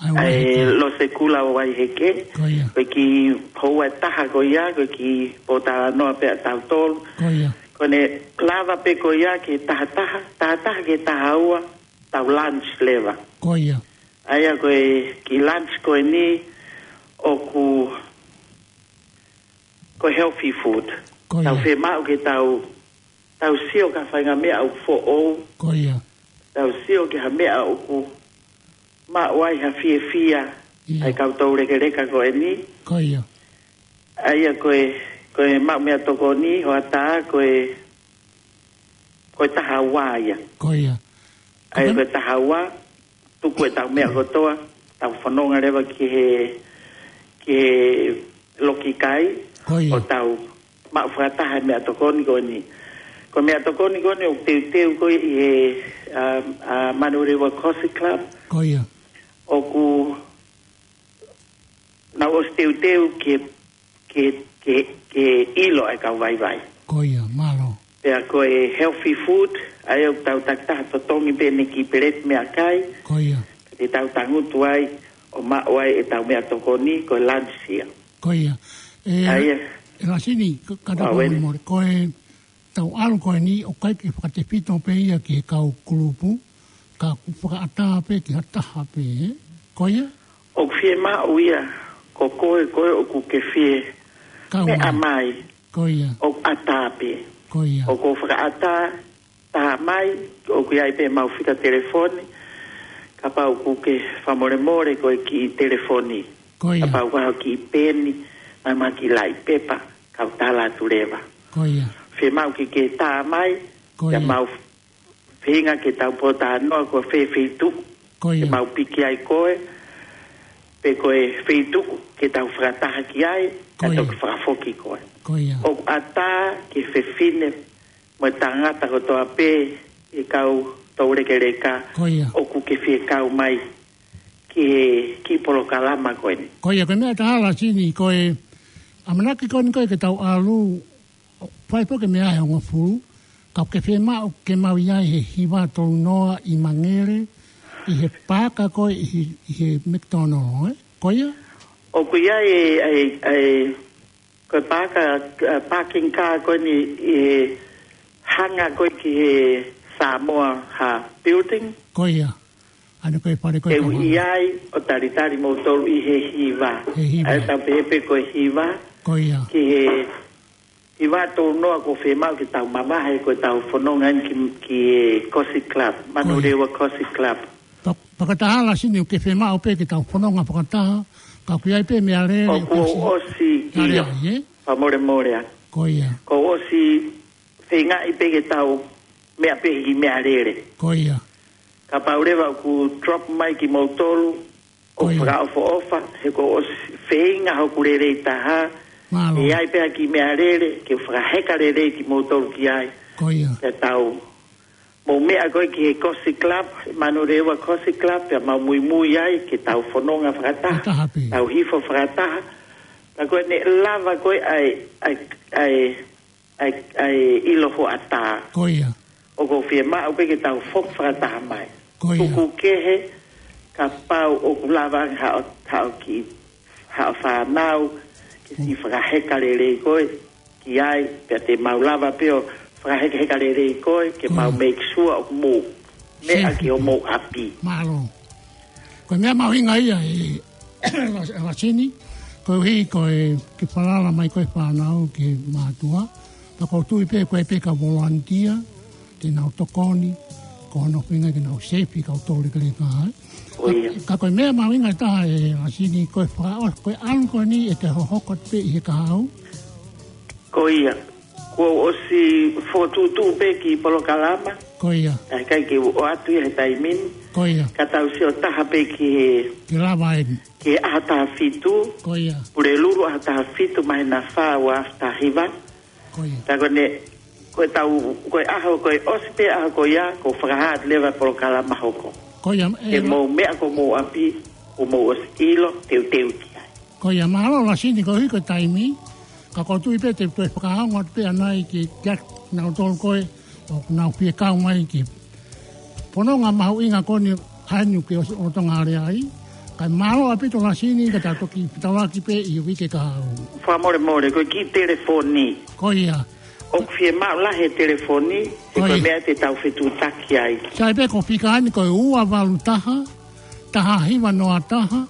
ʻA e ʻa e Vaiheke. Lose Kula ʻo Vaiheke. Ko ia. Ko e kiʻi houa ʻe taha ko ia, ko e kiʻi pōtalanoa pē ʻa tautolu. Ko ia. Ko ʻene lava pē ko ia ki he taha taha, taha taha ki he taha ua, tau lunch leva. Ko ia. ʻA ia ko e kiʻi lunch ko eni ʻoku ko e healthy food. Ko ia. Tau fiemaʻu ke tau, tau sio ki ha faʻahinga meʻa ʻoku foʻou. Ko ia. Tau sio ki ha meʻa ʻoku maʻu ai ha fiefia. Ia. ʻA e kau toulekeleka ko eni. Ko ia. ʻA ia ko e, ko e maʻu meʻatokoni, hoʻatā ko e, ko e taha ua ia. Ko ia. ʻA ia ko e taha ua, tuku e tau meʻa kotoa, tau fononga leva ki he, ki he lokikai, Ko ia. ʻo tau maʻu fakataha e meʻatokoni ko eni. Ko e meʻatokoni ko eni ʻoku teuteu ko ē ʻi he, um, uh, Manurewa Coffee Club. Ko ia. ʻOku nau ʻosi teuteu ke, ke, ke, ke ʻilo ʻa e kau vaivai. Ko ia, mālō. Pea ko e healthy food, ʻa ia ʻoku tau takitaha totongi pē ʻene kiʻi peleti meʻakai. Ko ia. Te tau tangutu ai, ʻo maʻu ai e tau meʻatokoni, ko e lunch ia. Ko ia. ʻE, ʻA ia. ʻE Lasini, ka, ka Ua tau wen. mole. Ko e tau ʻalu ko eni, ʻoku ʻikai ke fakatefito pē ia ki he kau kulupu, ka ʻoku fakaʻatā pē ki ha taha pē, ē? Ko ia? ʻOku fiemaʻu ia, ko koe, koe ʻoku ke fie Kau meʻa mai. mai. Ko ia. ʻOku ʻatā pē. Ko ia. ʻOku fakaʻatā, tā mai, ʻoku ʻi ai pē mau fika telefoni, kapau ʻoku ke fakamolemole ko e kiʻi telefoni. Ko ia. Kapau ʻoku ʻi ai ha kiʻi peni, mai mo ha kiʻi laʻi pepa, kau tala atu leva. Ko ia. Fiemaʻu ke ke tā mai, Ko ia. pea mau feinga ke tau pōtalanoa ko fē feituʻu. Ko ia. Ke mau piki ai koe, pe ko e feituʻu ke tau fakataha ki ai, Ko ka ia. toki fakafoki koe. Ko ia. ʻOku ʻatā ki he fefine mo e tangata kotoa pē ʻi he kau toulekeleka Ko ia. ʻoku ke fie kau mai ki he kiʻi polokalama ko eni. Ko ia, ko e meʻa ʻe taha Lasini, ko e ʻamanaki ko eni ko ē ke tau ʻalu, ʻo fai pē ke meʻa he hongofulu, ka ʻoku ke fiemaʻu ke mau ʻi ai he hiva tolu noa ʻi Mangere, ʻi he paaka ko ē ʻi he, ʻi he McDonald, ē? Ko ia? ʻOku ʻi ai e, e, e, ko e paaka, e, parking car ko eni ʻi he hanga ko ē ki he Samoa ha building. Ko ia. ʻA ena ko e fale ko ē Te u ʻi ai ʻo talitali moutolu ʻi he hiva. He hiva. ʻA ia tau pehē pē ko e hiva. Ko ia. Ki he Hiva tolu noa ʻoku fiemaʻu ke tau mamahi ko ʻetau fononga eni ki, ki he Kosi Club, Manurewa Kosi Club. Pea, pea ko e taha Lasini ʻoku ke fiemaʻu pē ke tau fononga fakataha, ka ʻoku ʻi ai pē meʻalele ʻoku ʻosi ʻosi, ʻio. Meʻalele, ē? Fakamolemole ā. Ko ia. Kuo ʻosi feingaʻi pē ke tau meʻa pē he kiʻi meʻalele. Ko ia. Kapau leva ʻoku drop mai kimoutolu, ʻoku fakaʻofoʻofa, he kuo ʻosi feinga hoku lelei taha. Mālō. ʻE ʻi ai pē ha kiʻi meʻalele, ke fakaheka lelei kimoutolu ki ai. Ko ia. Pea tau mou meʻa ko ē ki he Kosi Club, Manurewa Kosi Club, pea mau muimui ai, ke tau fononga fakataha. Fakataha pē. Tau hifo fakataha. Pea ko ʻene lava ko ē ʻa e, ʻa e, ʻa e ʻa e, ʻa e ʻilo hoʻatā. Ko ia. ʻOku ou fiemaʻu pē ke tau foki fakataha mai. Ko ia. Tuku kehe, kapau ʻoku lava ange haʻo, haʻo kiʻi, haʻo fānau, ke siʻi fakaheka lelei koe ki ai, pea te mau lava pē ʻo fakahekaheka lelei koe, ke mau make sure ʻoku mou meʻa ki homou ʻapi. Mālō. Ko e meʻa mahuʻinga ia ē, Lasini, koeʻuhi ko e ke falala mai ko e fānau ki he mātuʻa. Pea ʻoku ou tui pē ko e pē ka volunteer, te nau tokoni, ko hono ʻuhinga ke nau safety kau tole kele ka ai. Ko ia. Ka ko e meʻa mahuʻinga taha ē Lasini, ko e fakaʻo, ko e ʻalu ko eni ʻete hohoko atu pē ʻi he kahaʻu. Ko ia. Kuo ʻosi fokotuʻutuʻu pē kiʻi polokalama. Ko ia. ʻIkai ke u ʻoatu ia he taimi ni. Ko ia. Ka tau sio taha pē ki he, ke lava eni, ki he ʻaho taha fitu. Ko ia. Pulelulu ʻaho taha fitu māhina fā ua afe taha hiva. Ko ia. Ka ko ʻene, ko e tau, ko e ʻaho, ko e ʻosi pē ʻaho ko ia, kuo fakahā atu leva polokalama hoko. Ko ia, ē, ke mou meʻa ki homou ʻapi, kuo mou ʻosi ʻilo, teuteu ki ai. Ko ia, mālō Lasini koeʻuhi ko e taimi, ka ʻoku ou tui pē te u toe fakaongo atu pē ʻanai ki, kia nautolu ko ē, ʻoku nau fie kau mai ki he fononga mahuʻinga ko eni ʻa eni ʻoku ke ʻosi ʻotonga ale ai. Kae mālō ʻaupito Lasini, ka tau toki fetaulaki pē ʻi he uike kahaʻu. Fakamolemole, ko e kiʻi telefoni. Ko ia. ʻOku fiemaʻu lahi e telefoni, he ko e meʻa te tau fetuʻutaki ai. Sai pē ko e fika eni ko e ua valu taha, taha hiva noa taha,